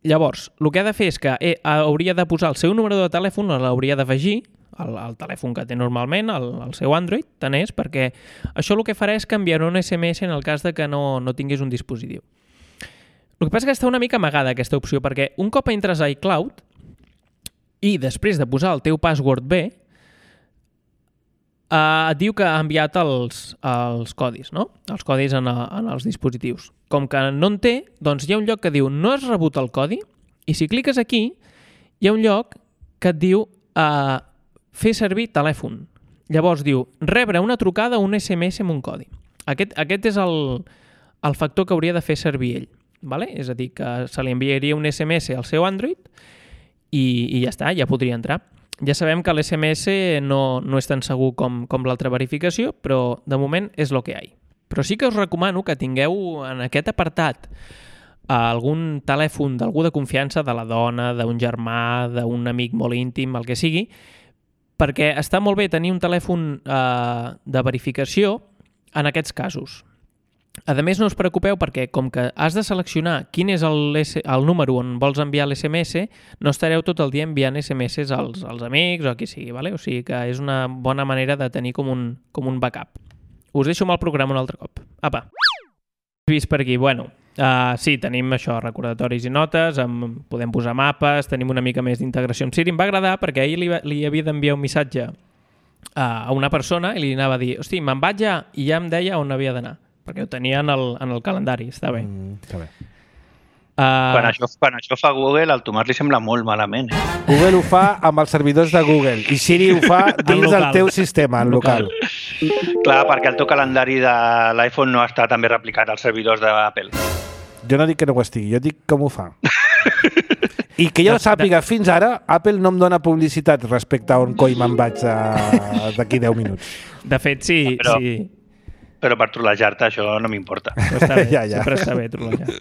Llavors, el que ha de fer és que hauria de posar el seu número de telèfon, l'hauria d'afegir al telèfon que té normalment, el seu Android, tant és, perquè això el que farà és canviar un SMS en el cas de que no tinguis un dispositiu. El que passa és que està una mica amagada aquesta opció, perquè un cop entres a iCloud i després de posar el teu password bé, et diu que ha enviat els codis, no? Els codis en els dispositius. Com que no en té, doncs hi ha un lloc que diu no has rebut el codi, i si cliques aquí, hi ha un lloc que et diu fer servir telèfon. Llavors diu rebre una trucada o un SMS amb un codi. Aquest és el factor que hauria de fer servir ell. Vale? És a dir, que se li enviaria un SMS al seu Android i ja està, ja podria entrar. Ja sabem que l'SMS no és tan segur com l'altra verificació, però de moment és el que hi ha. Però sí que us recomano que tingueu en aquest apartat algun telèfon d'algú de confiança, de la dona, d'un germà, d'un amic molt íntim, el que sigui, perquè està molt bé tenir un telèfon de verificació en aquests casos. A més, no us preocupeu perquè com que has de seleccionar quin és el número on vols enviar l'SMS, no estareu tot el dia enviant SMS als amics o a qui sigui, vale? O sigui que és una bona manera de tenir com un backup. Us deixo amb el programa un altre cop. Apa! He vist per aquí, bueno, sí, tenim això, recordatoris i notes, podem posar mapes, tenim una mica més d'integració amb Siri. Em va agradar perquè ahir li havia d'enviar un missatge a una persona i li anava a dir, hosti, me'n vaig ja, i ja em deia on havia d'anar, perquè ho tenia en el calendari, està bé. Està bé. Quan això fa Google, al Tomàs li sembla molt malament. Google ho fa amb els servidors de Google i Siri ho fa dins del teu sistema, en local. Clar, perquè el teu calendari de l'iPhone no està també replicat als servidors d'Apple. Jo no dic que no ho estigui, jo dic com ho fa. I que jo sàpiga, fins ara, Apple no em dona publicitat respecte a on coi me'n vaig d'aquí 10 minuts. De fet, sí. Però per trollejar-te això no m'importa. Està bé, sempre està bé trollejar.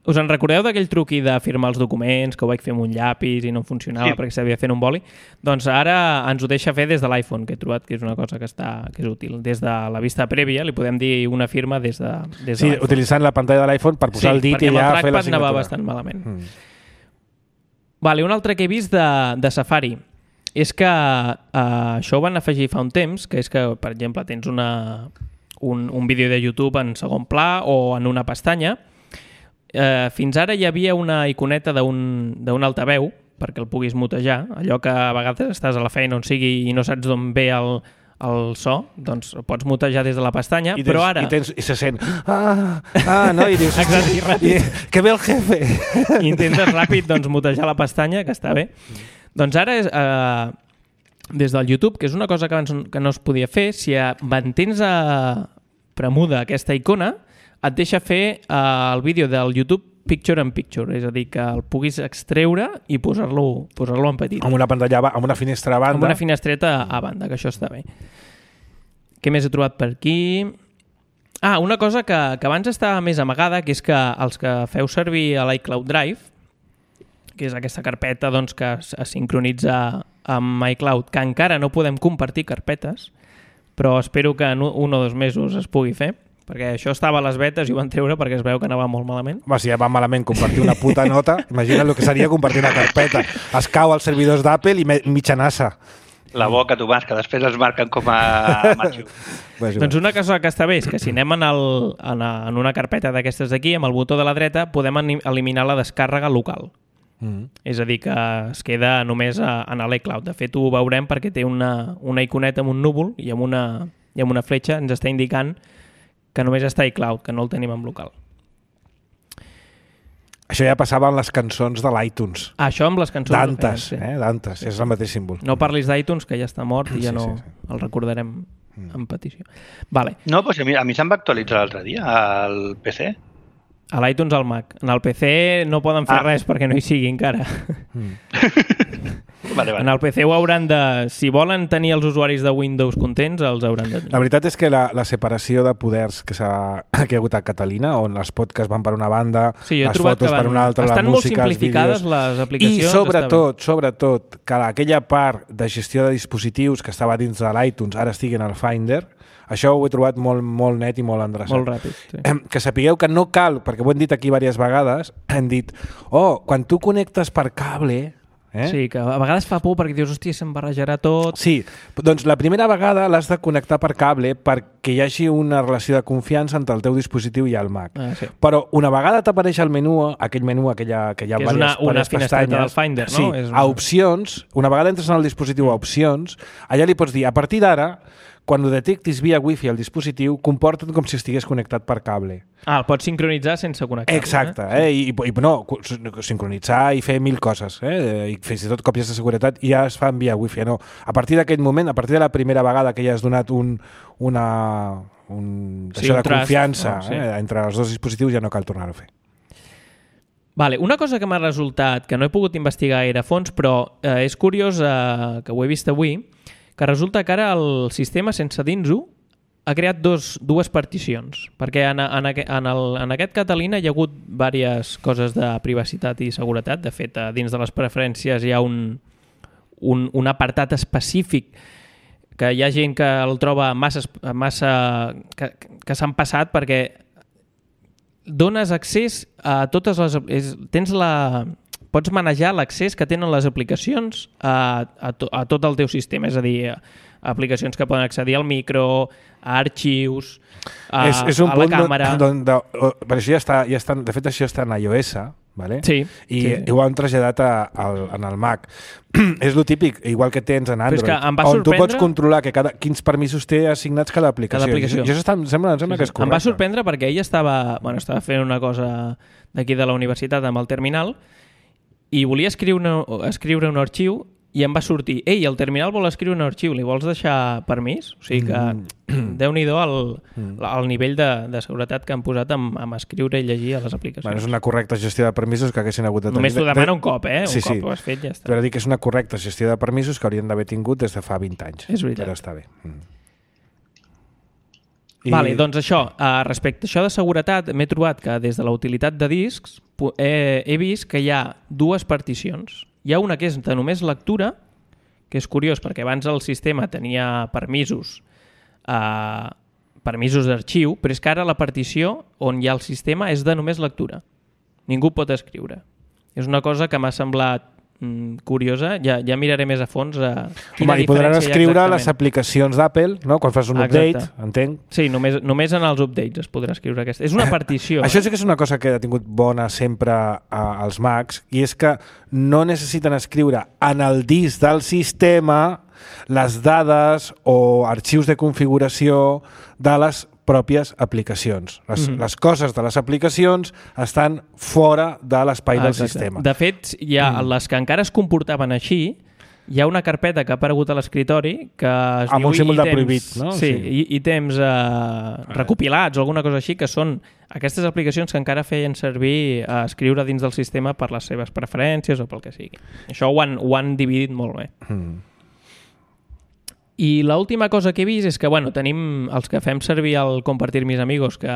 Us en recordeu d'aquell truqui de firmar els documents, que ho vaig fer amb un llapis i no funcionava perquè s'havia fet un boli? Doncs ara ens ho deixa fer des de l'iPhone, que he trobat que és una cosa que és útil. Des de la vista prèvia li podem dir una firma des de sí, l'iPhone. Utilitzant la pantalla de l'iPhone per posar el dit i ja fer la signatura. Sí, perquè amb el trackpad anava bastant malament. Vale, un altre que he vist de Safari és que això ho van afegir fa un temps, que és que, per exemple, tens un vídeo de YouTube en segon pla o en una pestanya. Fins ara hi havia una iconeta d'un altaveu perquè el puguis mutejar, allò que a vegades estàs a la feina on sigui i no saps d'on ve el so, doncs pots mutejar des de la pestanya, però ara... I se sent... no, i dius... Que ve el jefe! I intentes ràpid doncs, mutejar la pestanya, que està bé. Doncs ara és... des del YouTube, que és una cosa que abans que no es podia fer, si mantens premuda aquesta icona, et deixa fer el vídeo del YouTube Picture in Picture, és a dir, que el puguis extreure i posar-lo en petit. Amb una pantalla, amb una finestra a banda. Amb una finestreta a banda, que això està bé. Què més he trobat per aquí? Una cosa que abans estava més amagada, que és que els que feu servir a l'iCloud Drive, que és aquesta carpeta doncs, que es sincronitza amb iCloud, que encara no podem compartir carpetes, però espero que en 1 o 2 mesos es pugui fer, perquè això estava a les betes i ho van treure perquè es veu que anava molt malament. Si ja va malament compartir una puta nota, imagina't el que seria compartir una carpeta. Es cau als servidors d'Apple i mitjanassa. La boca, Tomàs, que després es marquen com a macho. Doncs una cosa que està bé és que si anem en una carpeta d'aquestes d'aquí, amb el botó de la dreta, podem eliminar la descàrrega local. És a dir, que es queda només en l'iCloud. De fet, ho veurem perquè té una iconeta amb un núvol i amb una fletxa ens està indicant que només està iCloud, que no el tenim en local. Això ja passava amb les cançons de l'iTunes. Això amb les cançons... Dantes, Dantes, és el mateix símbol. No parlis d'iTunes, que ja està mort i ja no el recordarem en petició. Vale. No, doncs a mi se'm va actualitzar l'altre dia al PC. A l'iTunes al Mac. En el PC no poden fer res perquè no hi sigui encara. Vale. En el PC ho hauran de... Si volen tenir els usuaris de Windows contents, els hauran de tenir. La veritat és que la separació de poders que ha hagut a Catalina, on els podcasts van per una banda, les fotos per una altra, la música, els vídeos... Estan molt simplificades les aplicacions. I sobretot, que aquella part de gestió de dispositius que estava dins de l'iTunes ara estigui en el Finder, això ho he trobat molt net i molt endreçat. Molt ràpid, sí. Que sapigueu que no cal, perquè ho hem dit aquí diverses vegades, hem dit, quan tu connectes per cable... Sí, que a vegades fa por perquè dius, hòstia, se'm barrejarà tot... Sí, doncs la primera vegada l'has de connectar per cable perquè hi hagi una relació de confiança entre el teu dispositiu i el Mac. Sí. Però una vegada t'apareix el menú, que hi ha que és una finestreta del Finder, no? Sí, a opcions, una vegada entres en el dispositiu a opcions, allà li pots dir, a partir d'ara, quan ho detectis via wifi al dispositiu, comporta't com si estigués connectat per cable. El pots sincronitzar sense connectar-lo. Exacte, I sincronitzar i fer 1000 coses, i fins i tot còpies de seguretat ja es fan via wifi. No, a partir d'aquest moment, a partir de la primera vegada que ja has donat això de confiança entre els dos dispositius, ja no cal tornar-ho a fer. Vale, una cosa que m'ha resultat, que no he pogut investigar gaire a fons, però és curiós que ho he vist avui, que resulta que ara el sistema, sense dins-ho, ha creat dues particions, perquè en aquest Catalina hi ha hagut diverses coses de privacitat i seguretat. De fet, dins de les preferències hi ha un apartat específic que hi ha gent que el troba massa que s'han passat perquè dones accés a totes les... Pots manejar l'accés que tenen les aplicacions a tot el teu sistema, és a dir, aplicacions que poden accedir al micro, a arxius, a la càmera... Per això ja està, de fet, això està en iOS, vale? Sí. I ho han traslladat en el Mac. És lo típic, igual que tens en Android, on tu pots controlar quins permisos té assignats cada aplicació. I això em sembla que és correcte. Em va sorprendre perquè ella estava fent una cosa d'aquí de la universitat amb el terminal i volia escriure un arxiu i em va sortir, ei, el terminal vol escriure un arxiu, li vols deixar permís? O sigui que Déu-n'hi-do el nivell de seguretat que han posat amb escriure i llegir a les aplicacions. Bueno, és una correcta gestió de permisos que haguessin hagut de tenir. Només t'ho demana un cop, Sí, un cop ho has fet, ja està. Però dic que és una correcta gestió de permisos que haurien d'haver tingut des de fa 20 anys. És veritat. Però està bé. Vale, doncs això, respecte a això de seguretat, m'he trobat que des de la utilitat de discs he vist que hi ha dues particions. Hi ha una que és de només lectura, que és curiós perquè abans el sistema tenia permisos d'arxiu, però és que ara la partició on hi ha el sistema és de només lectura. Ningú pot escriure. És una cosa que m'ha semblat curiosa, ja miraré més a fons quina diferència i podran escriure les aplicacions d'Apple, no? Quan fas un update, entenc. Sí, només en els updates es podrà escriure aquesta. És una partició. Això sí que és una cosa que ha tingut bona sempre als Macs, i és que no necessiten escriure en el disc del sistema les dades o arxius de configuració de les pròpies aplicacions. Les coses de les aplicacions estan fora de l'espai del sistema. De fet, hi ha les que encara es comportaven així, hi ha una carpeta que ha aparegut a l'escritori que es diu un símbol de prohibit, no? Sí, ítems recopilats o alguna cosa així, que són aquestes aplicacions que encara feien servir a escriure dins del sistema per les seves preferències o pel que sigui. Això ho han dividit molt bé. I l'última cosa que he vist és que, bueno, tenim els que fem servir el Compartir mis amigos, que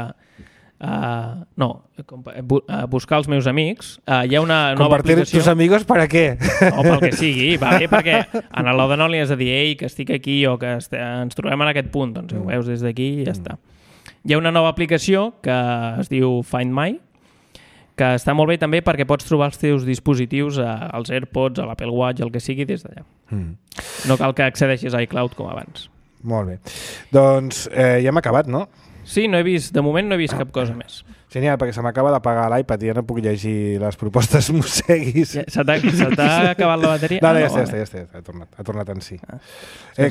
buscar els meus amics. Hi ha una nova aplicació... Compartir tus amigos para què? O pel que sigui, va bé, perquè en l'Oda no li has de dir ei, que estic aquí o que ens trobem en aquest punt, doncs ho veus des d'aquí i ja està. Hi ha una nova aplicació que es diu Find My, que està molt bé també perquè pots trobar els teus dispositius, als AirPods, a l'Apple Watch, el que sigui, des d'allà. No cal que accedeixis a iCloud com abans. Molt bé. Doncs ja hem acabat, no? Sí, de moment no he vist cap cosa més. Genial, perquè se m'acaba d'apagar l'iPad i ja no puc llegir les propostes mosseguis. Se t'ha acabat la bateria? No, ja està. Ha tornat en si.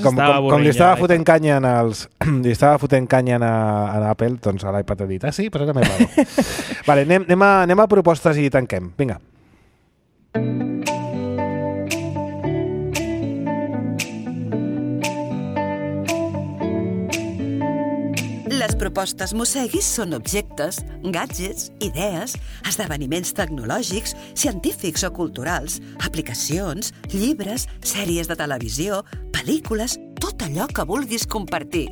Com li estava fotent canya a Apple, doncs a l'iPad ha dit, sí, però ara m'he pagat. Vale, anem a propostes i tanquem. Vinga. Les propostes mosseguis són objectes, gadgets, idees, esdeveniments tecnològics, científics o culturals, aplicacions, llibres, sèries de televisió, pel·lícules, tot allò que vulguis compartir.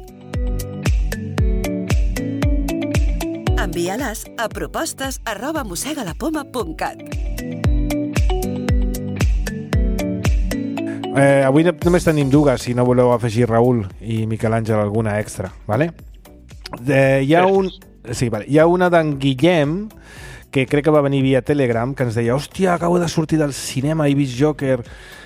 Envia-les a propostes@mossegalapoma.cat. Avui només tenim dues, si no voleu afegir Raül i Miquel Àngel alguna extra, ¿vale? Hi ha una d'en Guillem que crec que va venir via Telegram, que ens deia, hòstia, acabo de sortir del cinema, he vist Joker,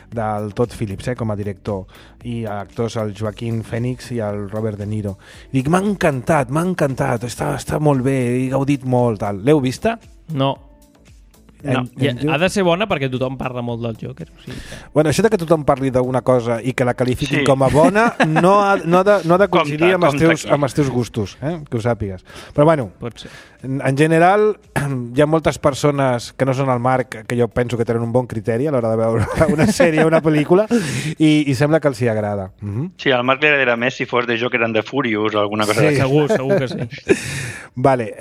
del Todd Phillips, com a director, i actors el Joaquin Phoenix i el Robert De Niro. I dic, m'ha encantat, està molt bé, he gaudit molt, tal. L'heu vista? No. Ha de ser bona perquè tothom parla molt del Joker. O sigui que... Bueno, això de que tothom parli d'una cosa i que la qualifiquin com a bona no ha de coincidir amb els teus gustos, que ho sàpigues. Però bueno, en general hi ha moltes persones que no són el Marc, que jo penso que tenen un bon criteri a l'hora de veure una sèrie o una pel·lícula i sembla que els hi agrada. Sí, al Marc li agradaria més si fos de Joker and the Furious o alguna cosa d'aquesta. Segur que sí. Vale.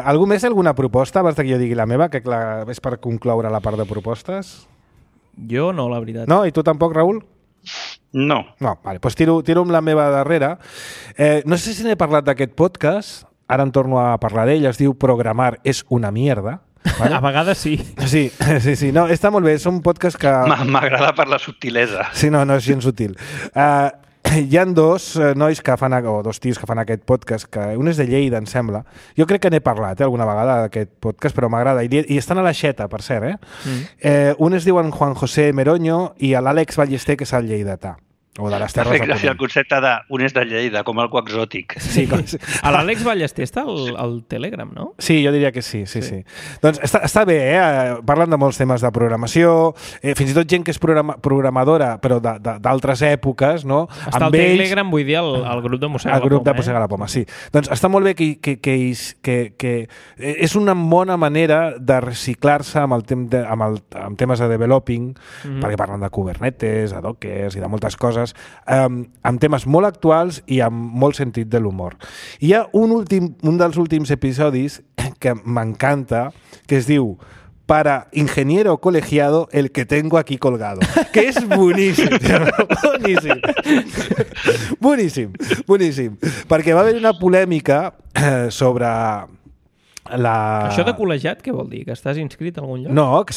Algú més, alguna proposta abans que jo digui la meva, que clar, és per concloure la part de propostes? Jo no, la veritat. No? I tu tampoc, Raül? No. No, vale, doncs tiro amb la meva darrere. No sé si n'he parlat d'aquest podcast, ara en torno a parlar d'ell, es diu Programar és una mierda. Vale? A vegades sí. Sí. No, està molt bé, és un podcast que... M'agrada per la subtilesa. Sí, no és gens sutil. hi ha dos nois que fan, o dos tios que fan aquest podcast, que un és de Lleida, em sembla. Jo crec que n'he parlat alguna vegada d'aquest podcast, però m'agrada. I estan a la Xeta, per cert. Un es diuen Juan José Meroño i l'Àlex Ballester, que és el lleidatà. O de les Terres de Ponent. El concepte d'un és de Lleida, com algo exòtic. Sí, l'Àlex Ballester està al Telegram, no? Sí, jo diria que sí. Doncs està bé, parlen de molts temes de programació, fins i tot gent que és programadora, però d'altres èpoques, no? Està al Telegram, vull dir, el grup de Mossega la Poma. El grup de Mossega la Poma, sí. Doncs està molt bé que és una bona manera de reciclar-se amb temes de developing, perquè parlen de Kubernetes, de Dockers i de moltes coses, amb temes molt actuals i amb molt sentit de l'humor. Hi ha un dels últims episodis que m'encanta, que es diu para ingeniero colegiado el que tengo aquí colgado, que és boníssim. Boníssim. Perquè va haver una polèmica sobre... Això de col·legiat, què vol dir? Que estàs inscrit a algun lloc? No, que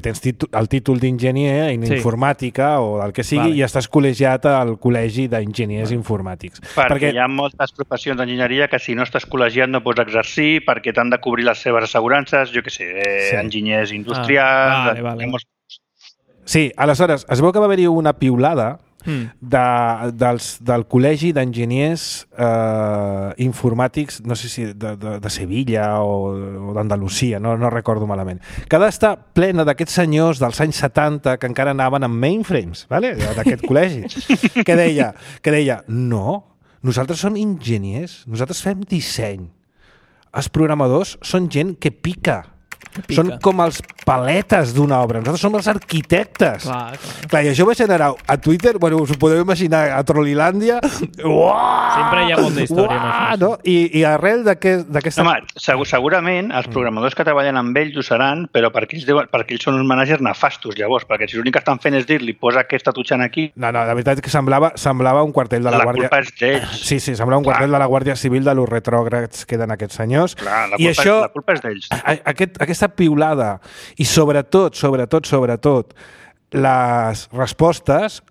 tens el títol d'enginyer en informàtica o del que sigui, i estàs col·legiat al col·legi d'enginyers informàtics. Perquè hi ha moltes professions d'enginyeria que si no estàs col·legiat no pots exercir perquè t'han de cobrir les seves assegurances, jo què sé, enginyers industrials... Sí, aleshores, es veu que va haver-hi una piulada del Col·legi d'Enginyers Informàtics, no sé si de Sevilla o d'Andalusia, no recordo malament, que ha d'estar plena d'aquests senyors dels anys 70 que encara anaven amb mainframes, d'aquest col·legi, que deia, no, nosaltres som enginyers, nosaltres fem disseny, els programadors són gent que pica. Són com els paletes d'una obra. Nosaltres som els arquitectes. Clar, i això va generar a Twitter, bueno, us ho podeu imaginar, a Trollilàndia. Sempre hi ha molta història amb això. No? I arrel d'aquesta... Home, segurament els programadors que treballen amb ells ho seran, però perquè ells són uns managers nefastos, llavors, perquè si l'únic que estan fent és dir-li posa aquesta tutxant aquí... No, la veritat és que semblava un quartel de la Guàrdia... La culpa és d'ells. Sí, semblava un quartel de la Guàrdia Civil de los retrògrads que eren aquests senyors. Clar, la culpa és d'ells. Aquesta piulada i sobretot les respostes,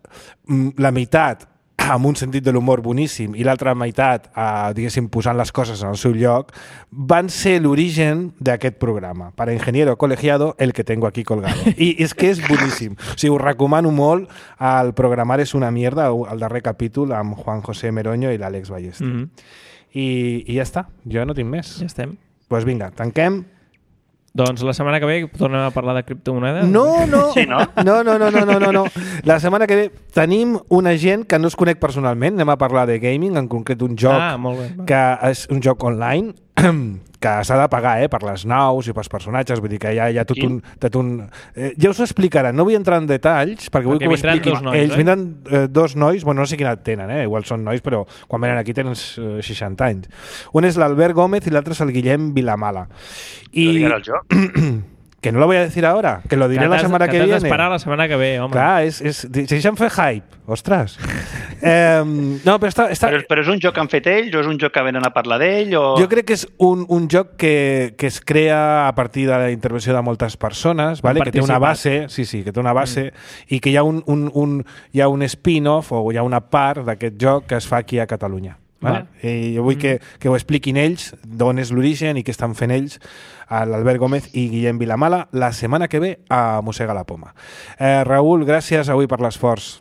la meitat amb un sentit de l'humor boníssim i l'altra meitat, diguéssim, posant les coses en el seu lloc, van ser l'origen d'aquest programa. Para ingeniero colegiado, el que tengo aquí colgado. I és que és boníssim. O sigui, us recomano molt el Programar és una mierda, el darrer capítol amb Juan José Meroño i l'Àlex Ballester. I ja està, jo no tinc més. Ja estem. Doncs vinga, tanquem. Doncs la setmana que ve tornem a parlar de criptomonedes? No. Sí, no? No. La setmana que ve tenim una gent que no es conec personalment. Anem a parlar de gaming, en concret un joc que és un joc online que s'ha de pagar per les naus i pels personatges, vull dir que hi ha tot un... Ja us ho explicaran, no vull entrar en detalls perquè vull que ho expliquin ells. Vindran dos nois, bueno, no sé quina edat tenen, igual són nois, però quan venen aquí tenen 60 anys. Un és l'Albert Gómez i l'altre és el Guillem Vilamala. ¿Lo el joc? Que no lo voy a decir ahora, que lo diré la semana que viene. Que t'has d'esperar la setmana que ve, home. Clar, deixa'm fer hype, ostres. No, però està... Però és un joc que han fet ells o és un joc que venen a parlar d'ell? O... Jo crec que és un joc que es crea a partir de la intervenció de moltes persones, vale? Que té una base, que té una base, i que hi ha un spin-off o hi ha una part d'aquest joc que es fa aquí a Catalunya. Vale? I jo vull que ho expliquin ells, d'on és l'origen i què estan fent ells, l'Albert Gómez i Guillem Vilamala, la setmana que ve a Mossega la Poma. Raül, gràcies avui per l'esforç.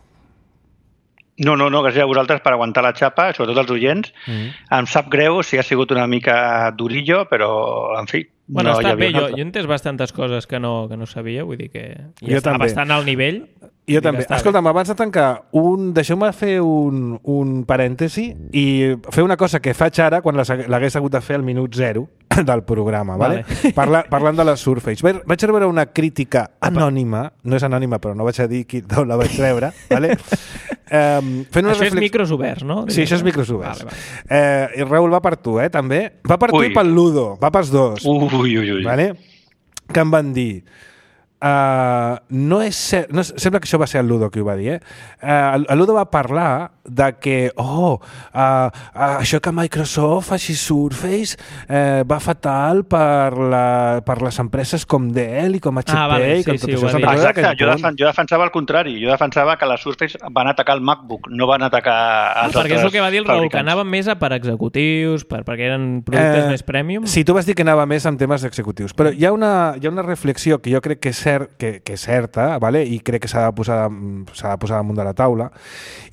No, gràcies a vosaltres per aguantar la xapa, sobretot els oients. Em sap greu si ha sigut una mica durillo, però, en fi... Bueno, està bé, jo he entès bastantes coses que no sabia, vull dir que ja està bastant al nivell. Jo també. Escolta'm, abans de tancar, deixeu-me fer un parèntesi i fer una cosa que faig ara quan l'hagués hagut de fer al minut 0 del programa, vale? Parlant de les Surface. Vaig rebre una crítica anònima, no és anònima, però no vaig a dir d'on la vaig rebre, vale? Això és micros oberts, no? Sí, això és micros oberts. I Raül, va per tu, també? Va per tu i pel Ludo, va pels dos. Ui. Vale? Que em van dir, no és cert, no, sembla que això va ser el Ludo qui ho va dir, el Ludo va parlar de que això que Microsoft faci Surface va fatal per les empreses com Dell i com HP vale, i com sí, tot això. Exacte, jo defensava el contrari, jo defensava que la Surface van atacar el MacBook, no van atacar els altres perquè és el que va dir el Raül, que fabricants. anava més per executius, perquè eren productes més premium. Sí, tu vas dir que anava més en temes executius, però hi ha una reflexió que jo crec que és certa, vale? I crec que s'ha de posar damunt de la taula,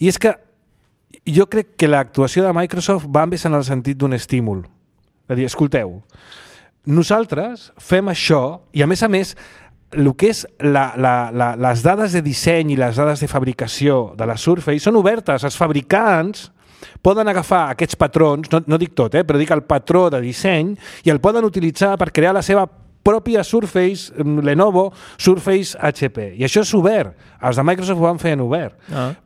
i és que jo crec que l'actuació de Microsoft va més en el sentit d'un estímul. És a dir, escolteu, nosaltres fem això i, a més, el que és les dades de disseny i les dades de fabricació de la Surface són obertes. Els fabricants poden agafar aquests patrons, no dic tot, però dic el patró de disseny, i el poden utilitzar per crear la seva pròpia Surface, Lenovo, Surface HP. I això és obert. Els de Microsoft ho van fer en obert.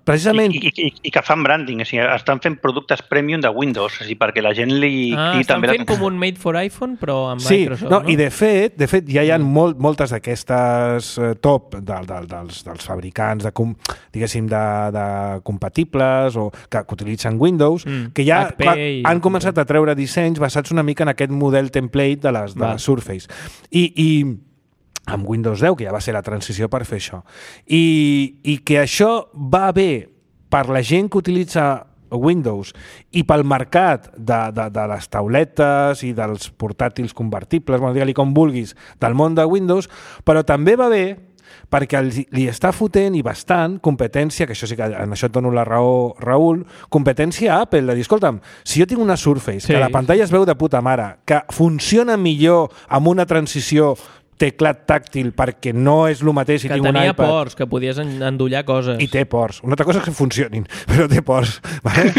Precisament... I que fan branding, o sigui, estan fent productes premium de Windows, o sigui, perquè la gent li... estan fent com un Made for iPhone, però amb Microsoft, no? I de fet ja hi ha moltes d'aquestes top dels fabricants, diguéssim, de compatibles o que utilitzen Windows, que ja han començat a treure dissenys basats una mica en aquest model template de les Surface. I amb Windows 10, que ja va ser la transició per fer això. I que això va bé per la gent que utilitza Windows i pel mercat de les tauletes i dels portàtils convertibles, digue-li com vulguis, del món de Windows, però també va bé perquè li està fotent i bastant competència, que això sí que en això et dono la raó, Raül, competència a Apple, de dir, escolta'm, si jo tinc una Surface, que la pantalla es veu de puta mare, que funciona millor amb una transició teclat tàctil perquè no és el mateix si tinc un iPad. Que tenia ports, que podies endollar coses. I té ports. Una altra cosa és que funcionin, però té ports. Vale?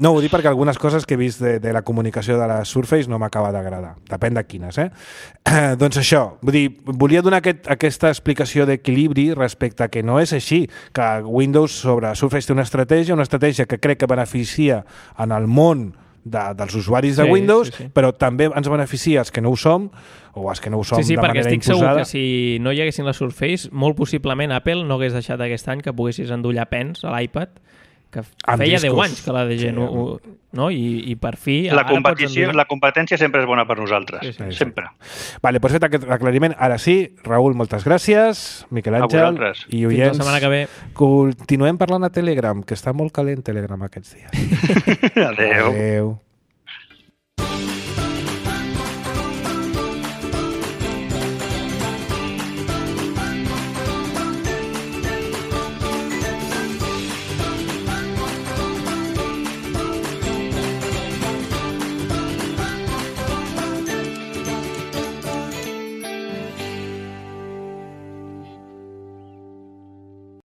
No, ho dic perquè algunes coses que he vist de la comunicació de la Surface no m'acaba d'agradar. Depèn de quines, doncs això, vull dir, volia donar aquesta explicació d'equilibri respecte a que no és així, que Windows sobre Surface té una estratègia que crec que beneficia en el món dels usuaris de Windows, però també ens beneficia els que no ho som, o els que no ho som de manera imposada. Sí, perquè estic segur que si no hi haguessin les Surface, molt possiblement Apple no hagués deixat aquest any que poguessis endollar pens a l'iPad, que feia 10 anys que la DG no? I per fi... La competència sempre és bona per nosaltres, sempre. Vale, doncs fet aquest aclariment, ara sí, Raül, moltes gràcies, Miquel Àngel i oients. Fins la setmana que ve. Continuem parlant a Telegram, que està molt calent Telegram aquests dies. Adéu.